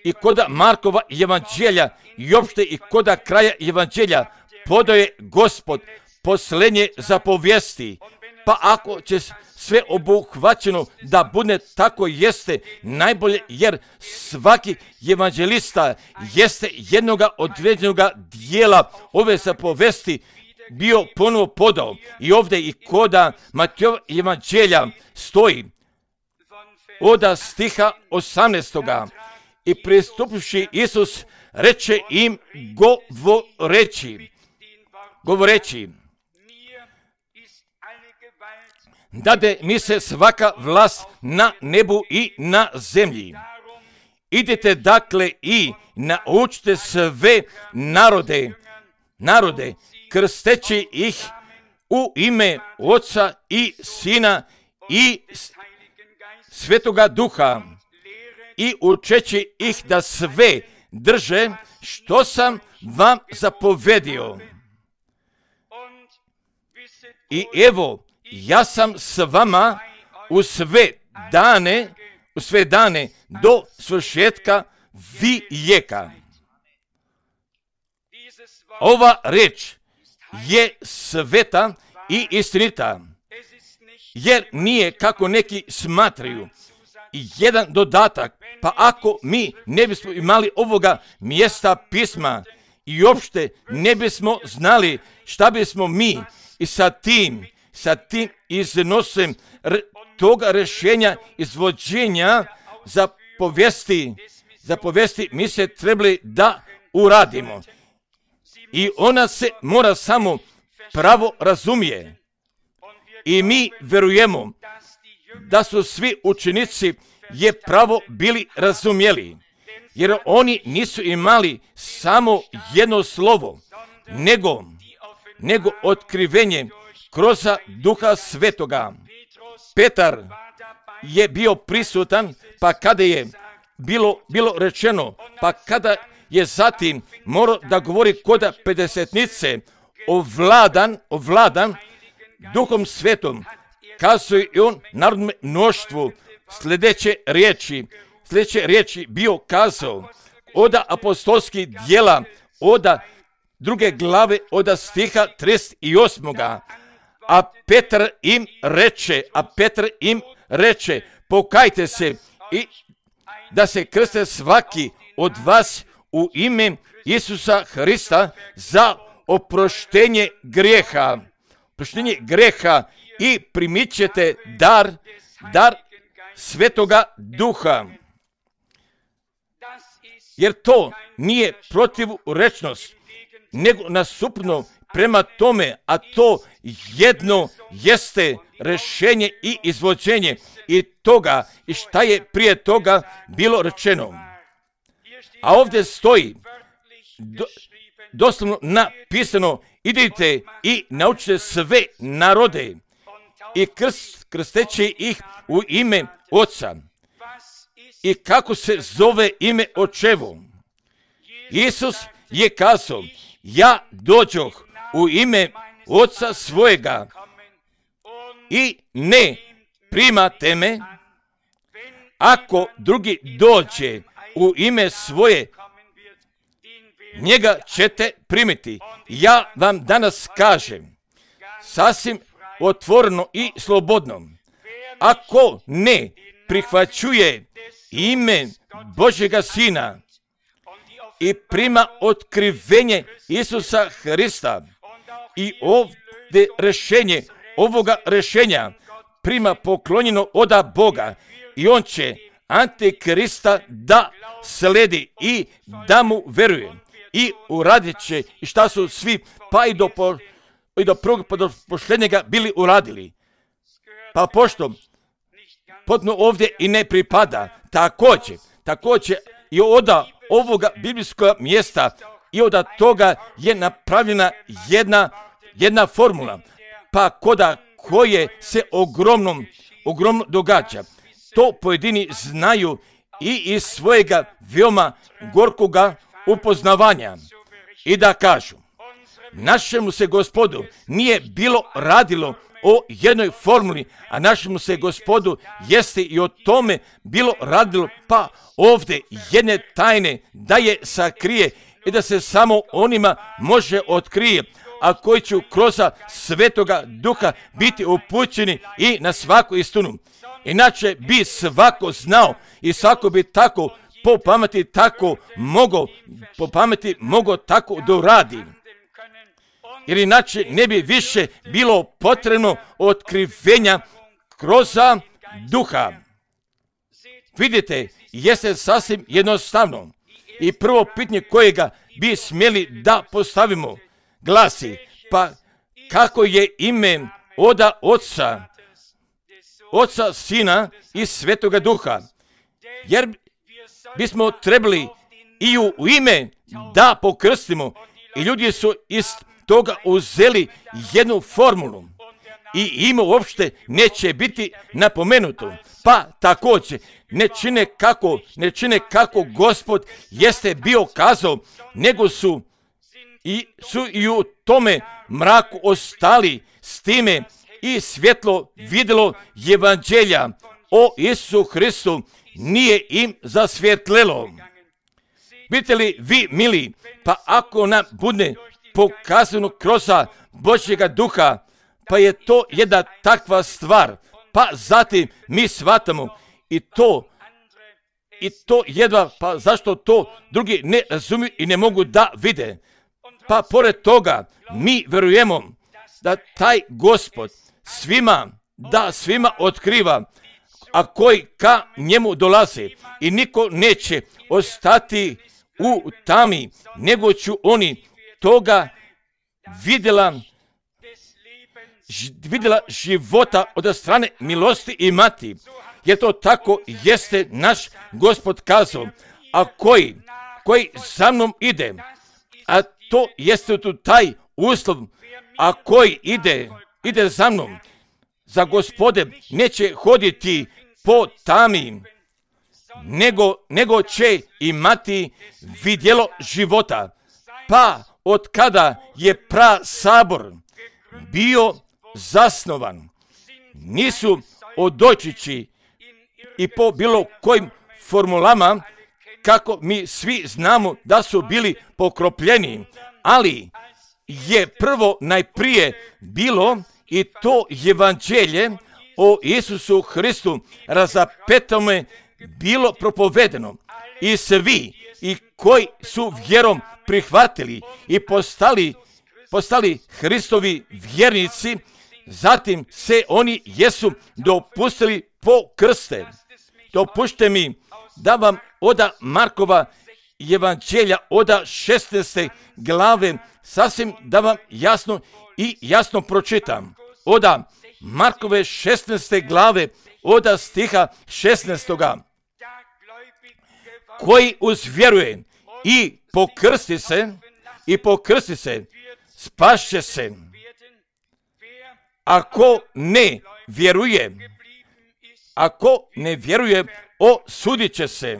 Speaker 1: i koda Markova evanđelja i opšte i koda kraja evanđelja podaje Gospod posljednje zapovijesti. Pa ako će sve obuhvaćeno da bude tako jeste najbolje, jer svaki evanđelista jeste jednoga određenoga dijela ove zapovesti bio ponovo podao. I ovdje i koda Matejova evanđelja stoji od stiha 18. I pristupivši Isus reče im govoreći dade mi se svaka vlast na nebu i na zemlji. Idite dakle i naučite sve narode, krsteći ih u ime Oca i Sina i Svetoga Duha i učeći ih da sve drže što sam vam zapovedio. I evo, ja sam s vama u sve dane do svršetka vijeka. Ova reč je sveta i istinita, jer nije kako neki smatraju jedan dodatak. Pa ako mi ne bismo imali ovoga mjesta pisma i uopšte ne bismo znali šta bismo mi i sa tim iznosim toga rješenja izvođenja za povijesti mi se trebali da uradimo. I ona se mora samo pravo razumije. I mi verujemo da su svi učenici je pravo bili razumjeli, jer oni nisu imali samo jedno slovo, nego otkrivenje kroz Duha Svetoga. Petar je bio prisutan, pa kada je bilo rečeno, pa kada je zatim morao da govori koda pedesetnice, ovladan Duhom Svetom, kazuje i on narodnom mnoštvu sljedeće riječi bio kazao od apostolskih djela, od 2. glave, od stiha 38. A Petar im reče, pokajte se i da se krste svaki od vas u ime Isusa Hrista za oproštenje grijeha i primit ćete dar Svetoga Duha. Jer to nije protivrečnost, nego nasuprotno prema tome, a to jedno jeste rješenje i izvođenje i toga i šta je prije toga bilo rečeno. A ovdje stoji doslovno napisano, idite i naučite sve narode i krsteći ih u ime Oca. I kako se zove ime Očevo? Isus je kazao, ja dođoh u ime Oca svojega i ne primate me, ako drugi dođe u ime svoje, njega ćete primiti. Ja vam danas kažem, sasvim otvoreno i slobodno, ako ne prihvaćuje ime Božjega Sina i prima otkrivenje Isusa Hrista i ovdje rješenje, ovoga rješenja prima poklonjeno od Boga i on će Antikrista da sledi i da mu veruje i uradit će i šta su svi pa i do prvog pa do posljednjega bili uradili. Pa pošto potpuno ovdje i ne pripada, također i od ovoga biblijskog mjesta i od toga je napravljena jedna formula, pa koje se ogromno događa. To pojedini znaju i iz svojega veoma gorkoga upoznavanja i da kažu, našemu se Gospodu nije bilo radilo o jednoj formuli, a našemu se Gospodu jeste i o tome bilo radilo, pa ovdje jedne tajne da je sakrije i da se samo onima može otkrije, a koji će kroz Svetoga Duha biti upućeni i na svaku istinu. Inače bi svako znao i svako bi tako po pameti mogao tako da uradi. Jer inače ne bi više bilo potrebno otkrivenja kroz Duha. Vidite, jeste sasvim jednostavno. I prvo pitanje kojega bi smjeli da postavimo glasi, pa kako je ime od Oca, Sina i Svetoga Duha? Jer bismo trebali i u ime da pokrstimo i ljudi su iz toga uzeli jednu formulu i ime uopšte neće biti napomenuto. Pa također ne čine kako Gospod jeste bio kazao, nego su i u tome mraku ostali s time i svjetlo vidjelo evanđelja o Isusu Hristu nije im zasvjetlelo. Vidite li vi, mili, pa ako nam bude pokazano kroz Božjega Duha, pa je to jedna takva stvar, pa zatim mi shvatamo i to jedva, pa zašto to drugi ne razumiju i ne mogu da vide. Pa pored toga mi verujemo da taj Gospod svima otkriva, a koji ka njemu dolaze i niko neće ostati u tami, nego ću oni toga vidjela života od strane milosti imati. Jer to tako jeste naš Gospod kazao, a koji za mnom ide, a to jeste tu taj uslov, a koji ide za mnom, za Gospode neće hoditi po tami, nego će imati vidjelo života. Pa od kada je sabor bio zasnovan, nisu odočići i po bilo kojim formulama, kako mi svi znamo da su bili pokropljeni, ali je prvo najprije bilo i to evanđelje o Isusu Hristu razapetome bilo propovedeno i svi i koji su vjerom prihvatili i postali Hristovi vjernici, zatim se oni jesu dopustili po krste. Dopušte mi da vam oda Markova evanđelja oda 16. glave sasvim da vam jasno pročitam. Oda Markove 16. glave oda stiha 16. Koji uzvjeruje i pokrsti se, spašće se. Ako ne vjeruje, osudit će se.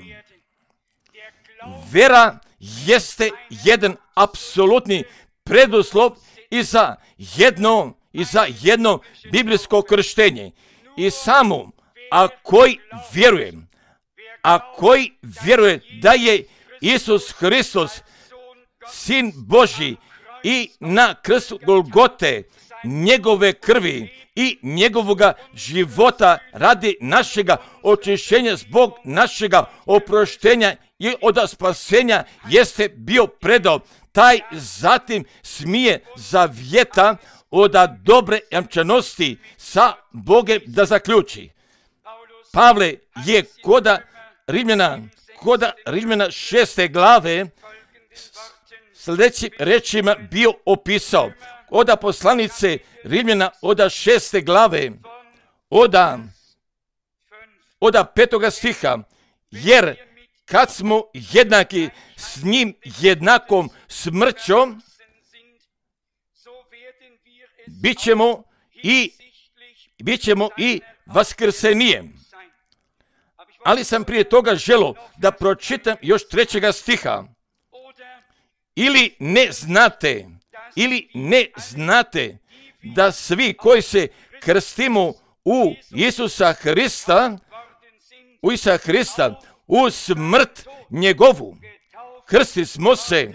Speaker 1: Vera jeste jedan apsolutni preduslov i za jedno biblijsko krštenje. I samo ako vjeruje da je Isus Hristos Sin Božji i na krstu Golgote njegove krvi i njegovoga života radi našega očišćenja zbog našega oproštenja i od spasenja jeste bio predao, taj zatim smije zavjeta od dobre jamčanosti sa Bogem da zaključi. Pavle je koda Rimljana 6. glave sljedećim rečima bio opisao. Oda poslanice Rimljana oda 6. glave oda 5. stiha, jer kad smo jednaki s njim jednakom smrćom, bit ćemo i vaskrsenijem. Ali sam prije toga želio da pročitam još 3. stiha. Ili ne znate da svi koji se krstimo u Isusa Hrista, u smrt njegovu, krsti smo se.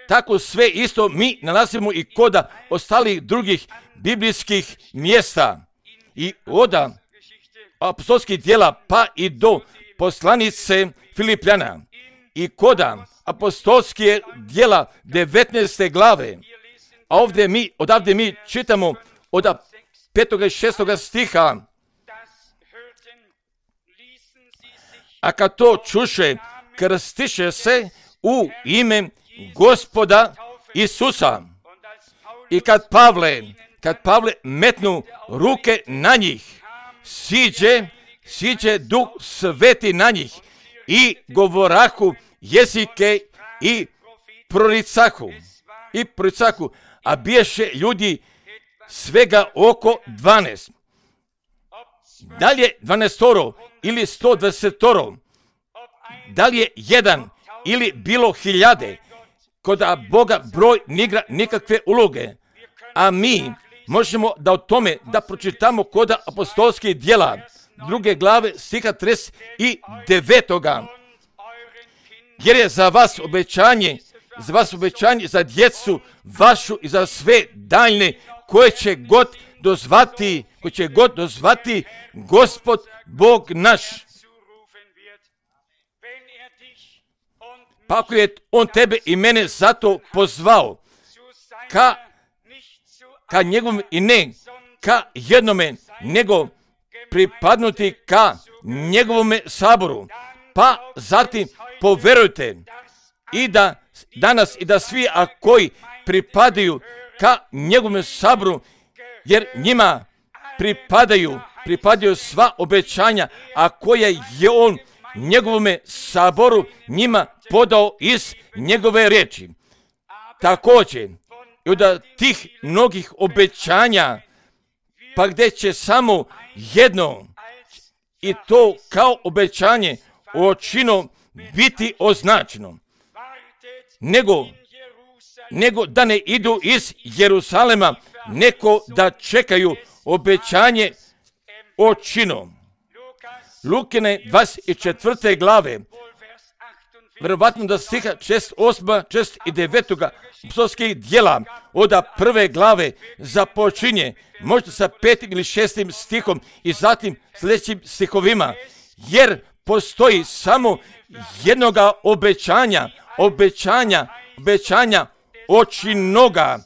Speaker 1: Tako sve isto mi nalazimo i kod ostalih drugih biblijskih mjesta. I od apostolskih djela pa i do poslanice Filipljana. I kod apostolskih djela 19. glave. A odavde mi čitamo od 5. i 6. stiha. A kad to čuše, krstiše se u ime Gospoda Isusa. I kad Pavle metnu ruke na njih, siđe Duh Sveti na njih i govorahu jezike i proricahu. A biješe ljudi svega oko 12. Da li je 12 ili 120, da li je jedan ili bilo hiljade, kod Boga broj nigra nikakve uloge. A mi možemo da o tome da pročitamo kod apostolskih djela 2. glave stiha 39. Jer je za vas obećanje za djecu vašu i za sve daljne koje će god dozvati Gospod Bog naš. Pa ako je on tebe i mene zato pozvao ka njegovom i ne ka jednome, nego pripadnuti ka njegovome saboru. Pa zatim poverujte i da danas i da svi koji pripadaju ka njegovome saboru, jer njima pripadaju sva obećanja, a koje je on njegovome saboru njima podao iz njegove riječi. Također, i od tih mnogih obećanja, pa gdje će samo jedno, i to kao obećanje očino biti označeno, nego da ne idu iz Jerusalema, neko da čekaju obećanje očinu. Lukine 24. glave, verovatno da stiha 8. i 9. apostolskih djela od prve glave započinje, možda sa 5. ili 6. stihom i zatim sljedećim stihovima, jer postoji samo jednoga obećanja očinoga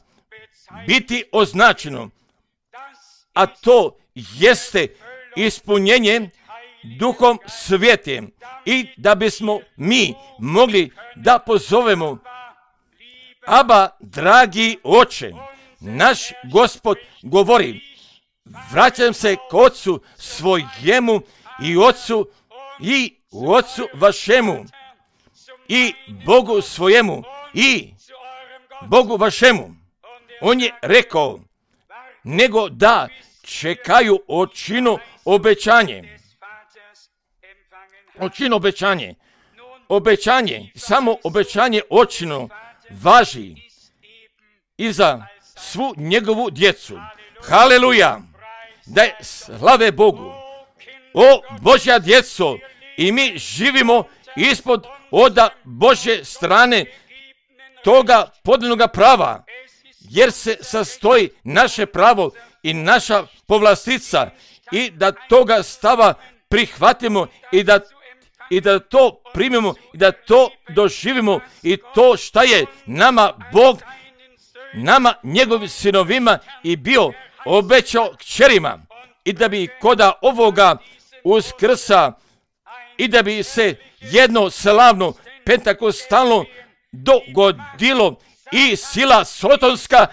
Speaker 1: biti označeno, a to jeste ispunjenje Duhom Svetim, i da bismo mi mogli da pozovemo: Aba, dragi Oče. Naš Gospod govori: vraćam se k Otcu svojemu i Otcu vašemu i Bogu svojemu i Bogu vašemu. On je rekao, nego da čekaju očinu obećanje. Očinu obećanje, samo obećanje očinu važi i za svu njegovu djecu. Haleluja! Da je slave Bogu. O Božja djeco, i mi živimo ispod oda Božje strane toga podeljenoga prava, jer se sastoji naše pravo i naša povlastica, i da toga stava prihvatimo i da to primimo i da to doživimo, i to šta je nama Bog, nama njegovim sinovima i bio obećao kćerima, i da bi koda ovoga Uskrsa i da bi se jedno slavno pentakostalno dogodilo i sila sotonska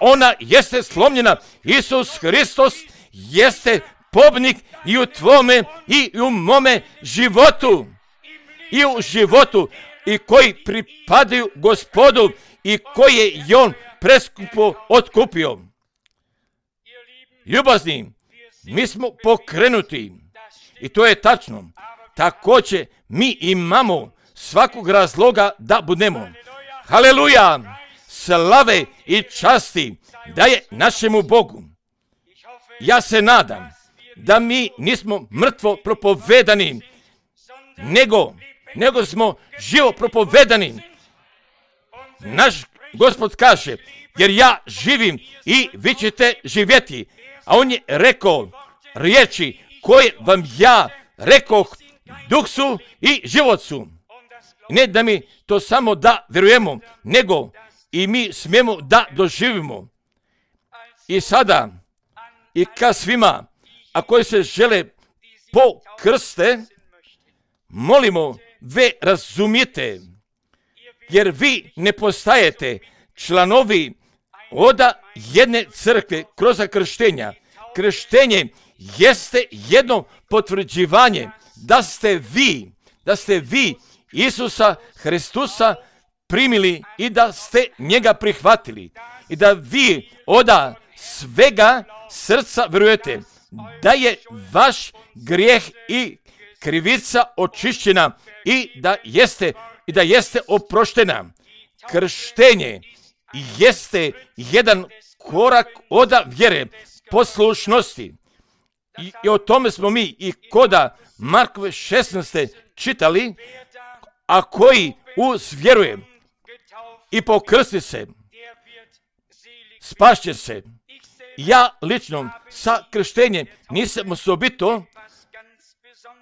Speaker 1: ona jeste slomljena. Isus Hristos jeste pobjednik i u tvome i u mome životu, i u životu i koji pripadaju Gospodu i koje je on preskupo otkupio. Ljubazni, mi smo pokrenuti i to je tačno. Također mi imamo svakog razloga da budemo. Haleluja! Slave i časti daje našemu Bogu. Ja se nadam da mi nismo mrtvo propovedani, nego smo živo propovedani. Naš Gospod kaže, jer ja živim i vi ćete živjeti. A on je rekao riječi koje vam ja rekoh, duh su i život su. Ne da mi to samo da vjerujemo, nego i mi smijemo da doživimo. I sada, i ka svima, a koji se žele pokrste, molimo, ve razumijete, jer vi ne postajete članovi oda jedne crkve kroz krštenja. Krštenje jeste jedno potvrđivanje da ste vi Isusa Hristusa primili i da ste njega prihvatili i da vi oda svega srca vjerujete da je vaš grijeh i krivica očišćena i da jeste oproštena. Krštenje jeste jedan korak oda vjere, poslušnosti. I o tome smo mi i koda Markove 16. čitali, a koji vjeruje i pokrsti se, spašće se. Ja lično sa krštenjem nisam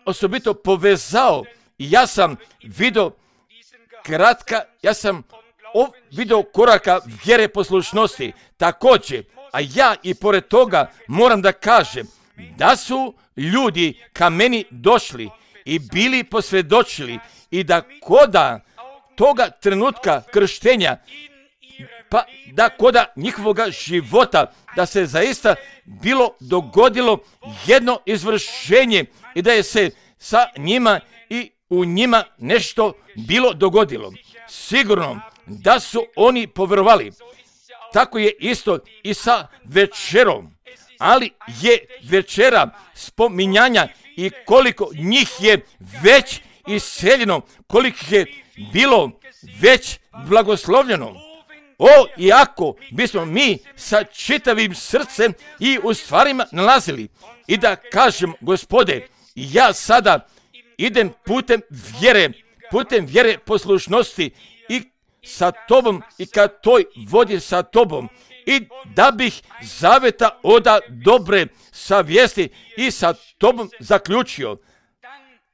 Speaker 1: osobito povezao. Ja sam vidio vidio koraka vjere poslušnosti. Također, a ja i pored toga moram da kažem da su ljudi ka meni došli i bili posvjedočili i da koda toga trenutka krštenja, pa da koda njihovoga života, da se zaista bilo dogodilo jedno izvršenje i da je se sa njima i u njima nešto bilo dogodilo. Sigurno da su oni povjerovali. Tako je isto i sa večerom. Ali je večera spominjanja i koliko njih je već iseljeno, koliko je bilo već blagoslovljeno. iako bismo mi sa čitavim srcem i u stvarima nalazili i da kažem, Gospode, ja sada idem putem vjere poslušnosti i sa Tobom i ka toj vodi sa Tobom, i da bih zaveta oda dobre savjesti i sa Tobom zaključio,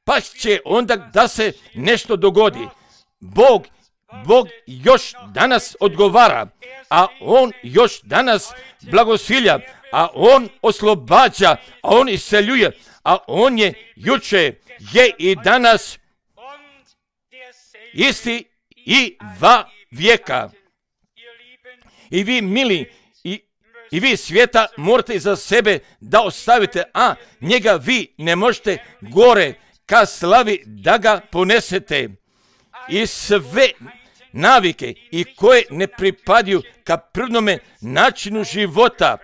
Speaker 1: pa će onda da se nešto dogodi. Bog još danas odgovara, a On još danas blagosilja, a On oslobađa, a On isceljuje, a On je juče, je i danas isti i va vijeka. I vi, mili, i vi svijeta morate za sebe da ostavite, a njega vi ne možete gore ka slavi da ga ponesete. I sve navike i koje ne pripadaju ka prvnome načinu života,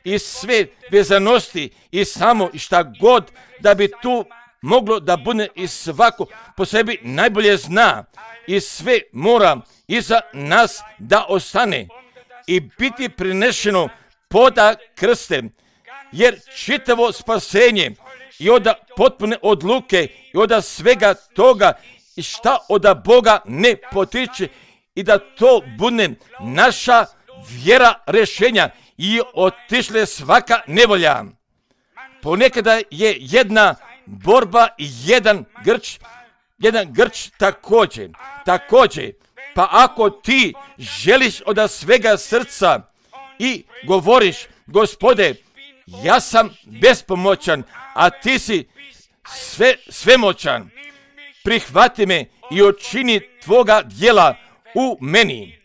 Speaker 1: i sve vezanosti i samo šta god da bi tu moglo da bude, i svako po sebi najbolje zna, i sve mora iza nas da ostane i biti prinešeno poda krste, jer čitavo spasenje i od potpune odluke i od svega toga i šta od Boga ne potiče, i da to bude naša vjera rješenja i otišle svaka nevolja. Ponekada je jedna borba i jedan grč također. Pa ako ti želiš od svega srca i govoriš, Gospode, ja sam bespomoćan, a ti si svemoćan, prihvati me i učini tvoga djela u meni.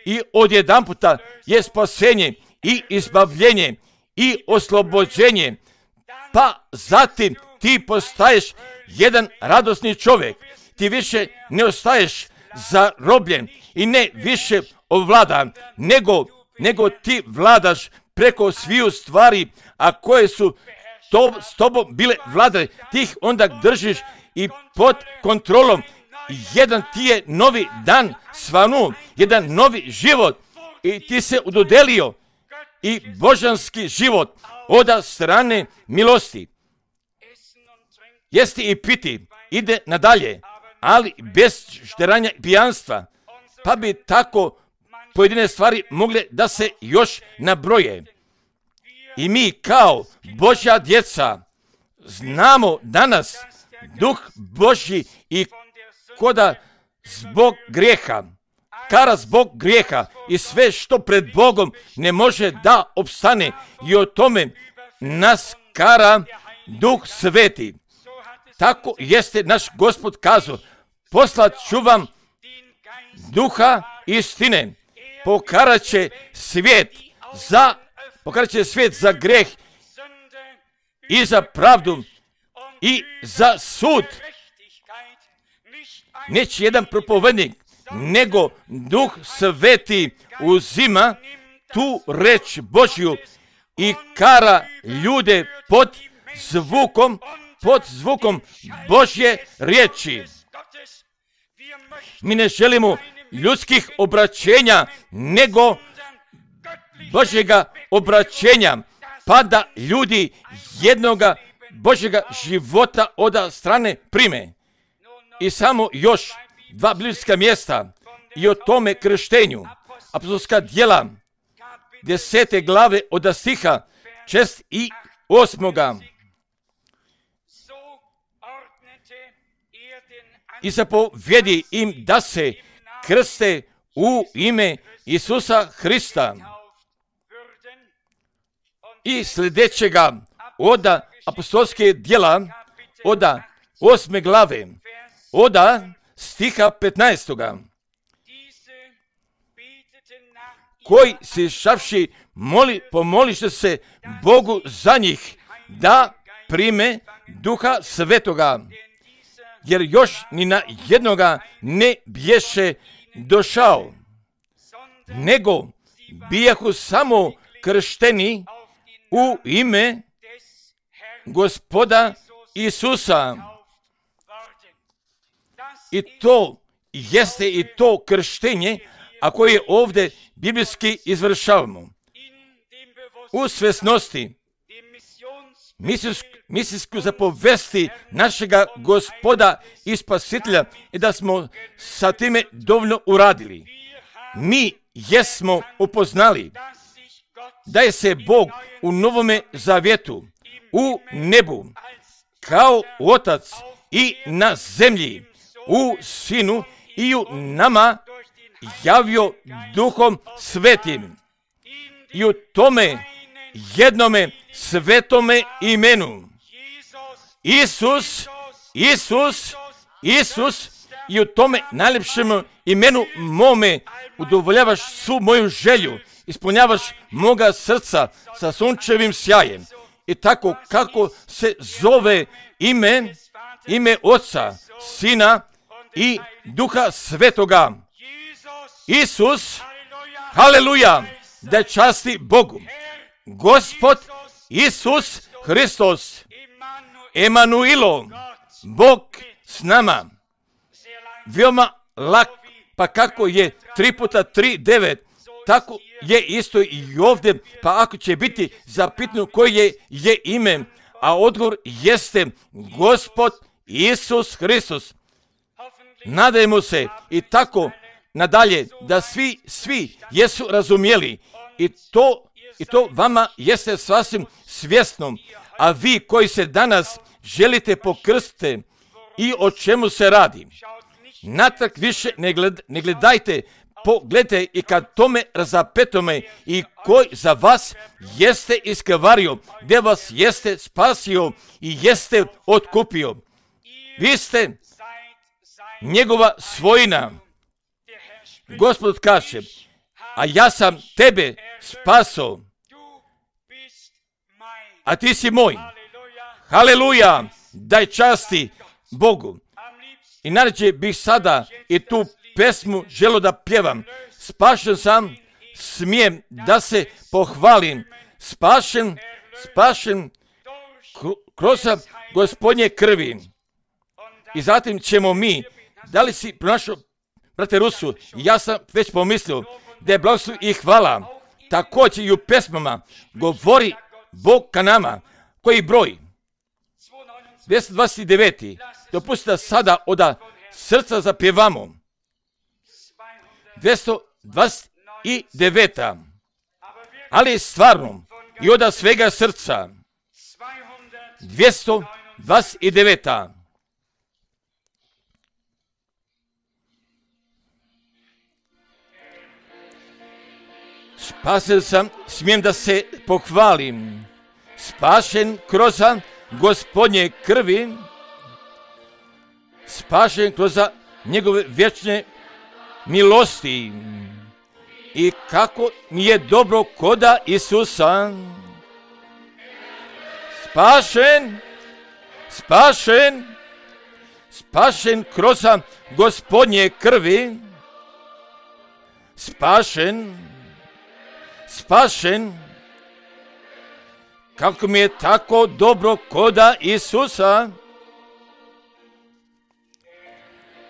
Speaker 1: I odjedanputa je spasenje i izbavljenje i oslobođenje, pa zatim ti postaješ jedan radosni čovjek. Ti više ne ostaješ zarobljen i ne više ovladan, nego ti vladaš preko sviju stvari, a koje su s tobom bile vladare, ti ih onda držiš i pod kontrolom. Jedan ti je novi dan svanuo, jedan novi život, i ti se udodelio i božanski život od strane milosti. Jesti i piti ide nadalje, ali bez šteranja i pijanstva, pa bi tako pojedine stvari mogle da se još nabroje. I mi kao Božja djeca znamo danas Duh Božji i koda zbog grijeha, kara zbog grijeha i sve što pred Bogom ne može da opstane, i o tome nas kara Duh Sveti. Tako jeste naš Gospod kazao, poslat ću vam Duha istine, pokarat će svijet za greh i za pravdu i za sud. Neće jedan propovednik, nego Duh Sveti uzima tu reč Božju i kara ljude pod zvukom Božje riječi. Mi ne želimo ljudskih obraćenja, nego Božjega obraćenja, pa da ljudi jednoga Božjega života od strane prime. I samo još 2 biblijska mjesta i o tome krštenju. Apostolska djela 10. glave od stiha 6 i 8. I zapovjedi im da se krste u ime Isusa Hrista. I sljedećega od apostolske djela od 8. glave od stiha 15. Koji si šavši pomoliše se Bogu za njih da prime Duha Svetoga, jer još ni na jednoga ne bješe došao, nego bijahu samo kršteni u ime Gospoda Isusa. I to jeste i to krštenje, a koje ovdje biblijski izvršavamo. U svjesnosti misijsku zapovesti našega Gospoda i Spasitelja i da smo sa time dovoljno uradili. Mi jesmo upoznali da je se Bog u Novome Zavjetu, u nebu, kao Otac i na zemlji, u Sinu i u nama javio Duhom Svetim. I u tome jednome svetome imenu. Isus, i u tome najljepšem imenu mome udovoljavaš svu moju želju, ispunjavaš moga srca sa sunčevim sjajem. I tako kako se zove ime Oca, Sina i Duha Svetoga. Isus, haleluja, da časti Bogu. Gospod Isus Hristos, Emanuilo, Bog s nama. Veoma lak, pa kako je 3 puta 3, 9, tako je isto i ovdje, pa ako će biti zapitano koje je ime, a odgovor jeste Gospod Isus Hristos. Nadajmo se i tako nadalje da svi jesu razumjeli i to vama jeste sasvim svjesno, a vi koji se danas želite pokrstiti i o čemu se radi, natrag više ne gledajte, pogledajte i kad tome razapetome i koji za vas jeste iskavario, gdje vas jeste spasio i jeste otkupio. Vi ste njegova svojina. Gospod kaže, a ja sam tebe spaso, a ti si moj. Haleluja, daj časti Bogu. I najrađe bih sada i tu pesmu želio da pjevam. Spašen sam, smijem da se pohvalim. Spašen kroz Gospodnje krvi. I zatim ćemo mi, da li si pronašao, brate Rusu, ja sam već pomislio da je blagoslov i hvala. Također i u pesmama govori Bog ka nama. Koji broj? 229. Dopustite da sada od srca zapjevamo. 229. Ali stvarno i od svega srca. 229. Spasen sam, smijem da se pohvalim. Spašen kroz Gospodnje krvi. Spašen kroz njegove vječne milosti. I kako mi je dobro koda Isusa. Spašen kroz Gospodnje krvi. Spašen, kako mi je tako dobro koda Isusa.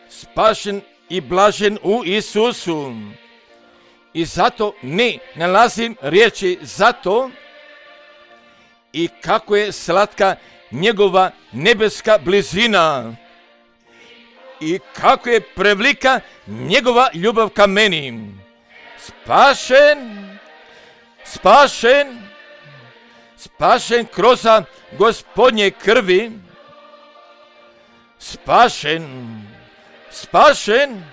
Speaker 1: Spašen i blažen u Isusu. I zato ne nalazim riječi za to. I kako je slatka njegova nebeska blizina. I kako je prevelika njegova ljubav ka meni. Spašen kroz Gospodnje krvi. Spašen.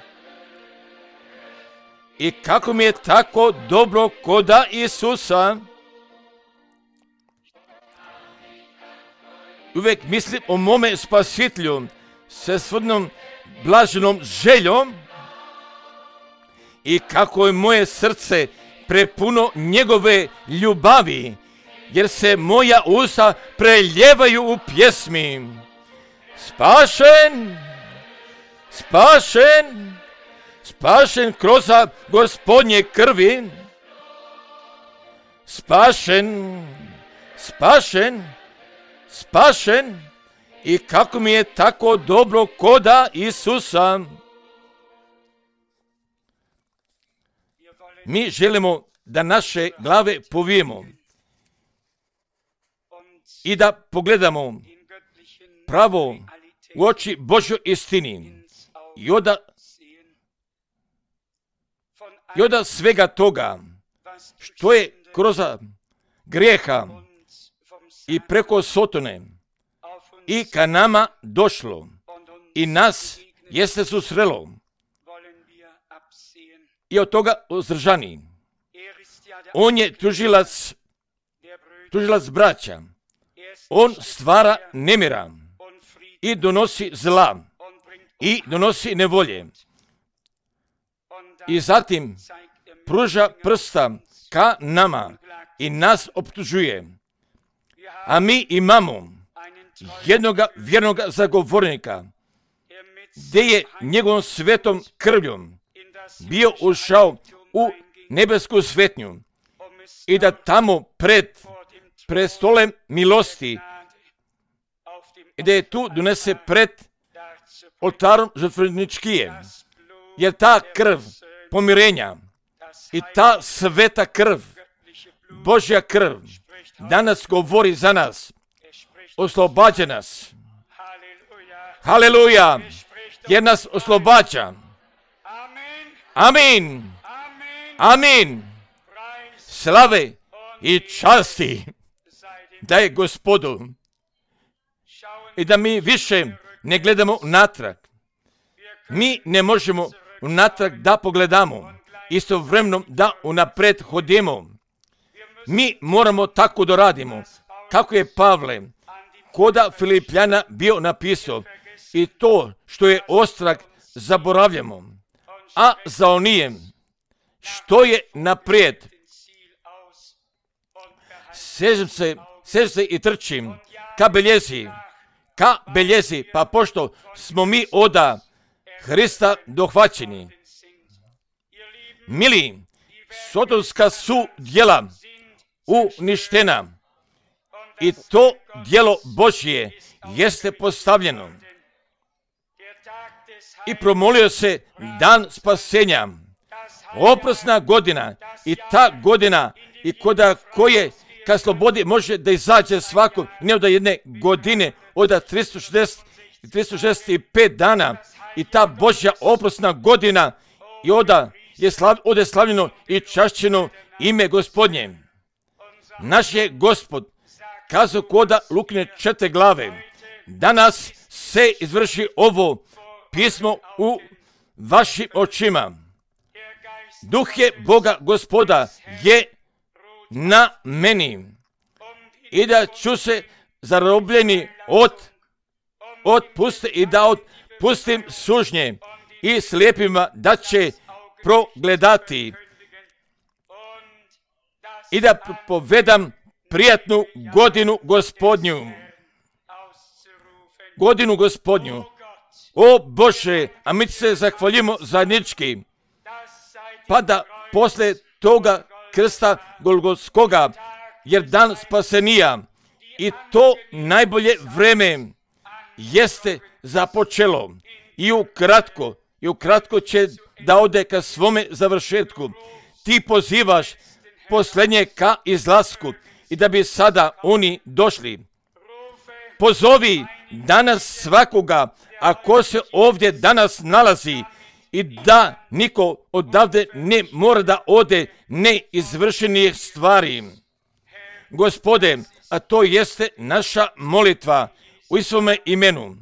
Speaker 1: I kako mi je tako dobro koda Isusa. Uvijek mislim o mome Spasitelju sa svojom blaženom željom. I kako je moje srce prepuno njegove ljubavi, jer se moja usta preljevaju u pjesmi. Spašen kroz Gospodnje krvi. Spašen. I kako mi je tako dobro koda Isusa. Mi želimo da naše glave povijemo i da pogledamo pravo u oči Božjoj istini i od svega toga što je kroz grijeha i preko Sotone i ka nama došlo i nas jeste susrelo i od toga uzdržani. On je tužilac braća. On stvara nemira i donosi zla i donosi nevolje. I zatim pruža prsta ka nama i nas optužuje. A mi imamo jednoga vjernoga zagovornika, gdje je njegovom svetom krvljom bio ušao u nebesku svetnju i da tamo pred prestolem milosti, gdje je tu donese pred oltarom žrtveničkije, jer ta krv pomirenja i ta sveta krv, Božja krv, danas govori za nas, oslobađa nas. Haleluja, jer nas oslobađa. Amin. Amin. Slave i časti da je Gospodu. I da mi više ne gledamo natrag. Mi ne možemo natrag da pogledamo, istovremeno da unapred hodimo. Mi moramo tako da radimo, kako je Pavle koda Filipljana bio napisao, i to što je ostrag zaboravljamo, a za onijem što je naprijed sežem se i trčim ka beljezi, pa pošto smo mi oda Hrista dohvaćeni. Mili, sotonska su djela uništena i to djelo Božje jeste postavljeno. I promolio se dan spasenja, oprosna godina, i ta godina i koda koje ka slobodi može da izađe svako, ne od jedne godine, od 365 dana, i ta Božja oprosna godina i od je slavljeno i čašćeno ime Gospodnje. Naš je Gospod kazao koda Lukine 4 glave, danas se izvrši ovo pismo u vašim očima. Duh je Boga Gospoda je na meni i da ću se zarobljeni otpuste i da otpustim sužnje i slijepima da će progledati i da povedam prijatnu godinu Gospodnju. Godinu Gospodnju. O Bože, a mi se zahvaljujemo zajednički, pa da posle toga krsta Golgotskoga, jer dan spasenija i to najbolje vreme jeste započelo i ukratko će da ode ka svome završetku. Ti pozivaš posljednje ka izlasku i da bi sada oni došli. Pozovi danas svakoga, ako se ovdje danas nalazi, i da niko odavde ne mora da ode neizvršenih stvari. Gospode, a to jeste naša molitva u Isovome imenu.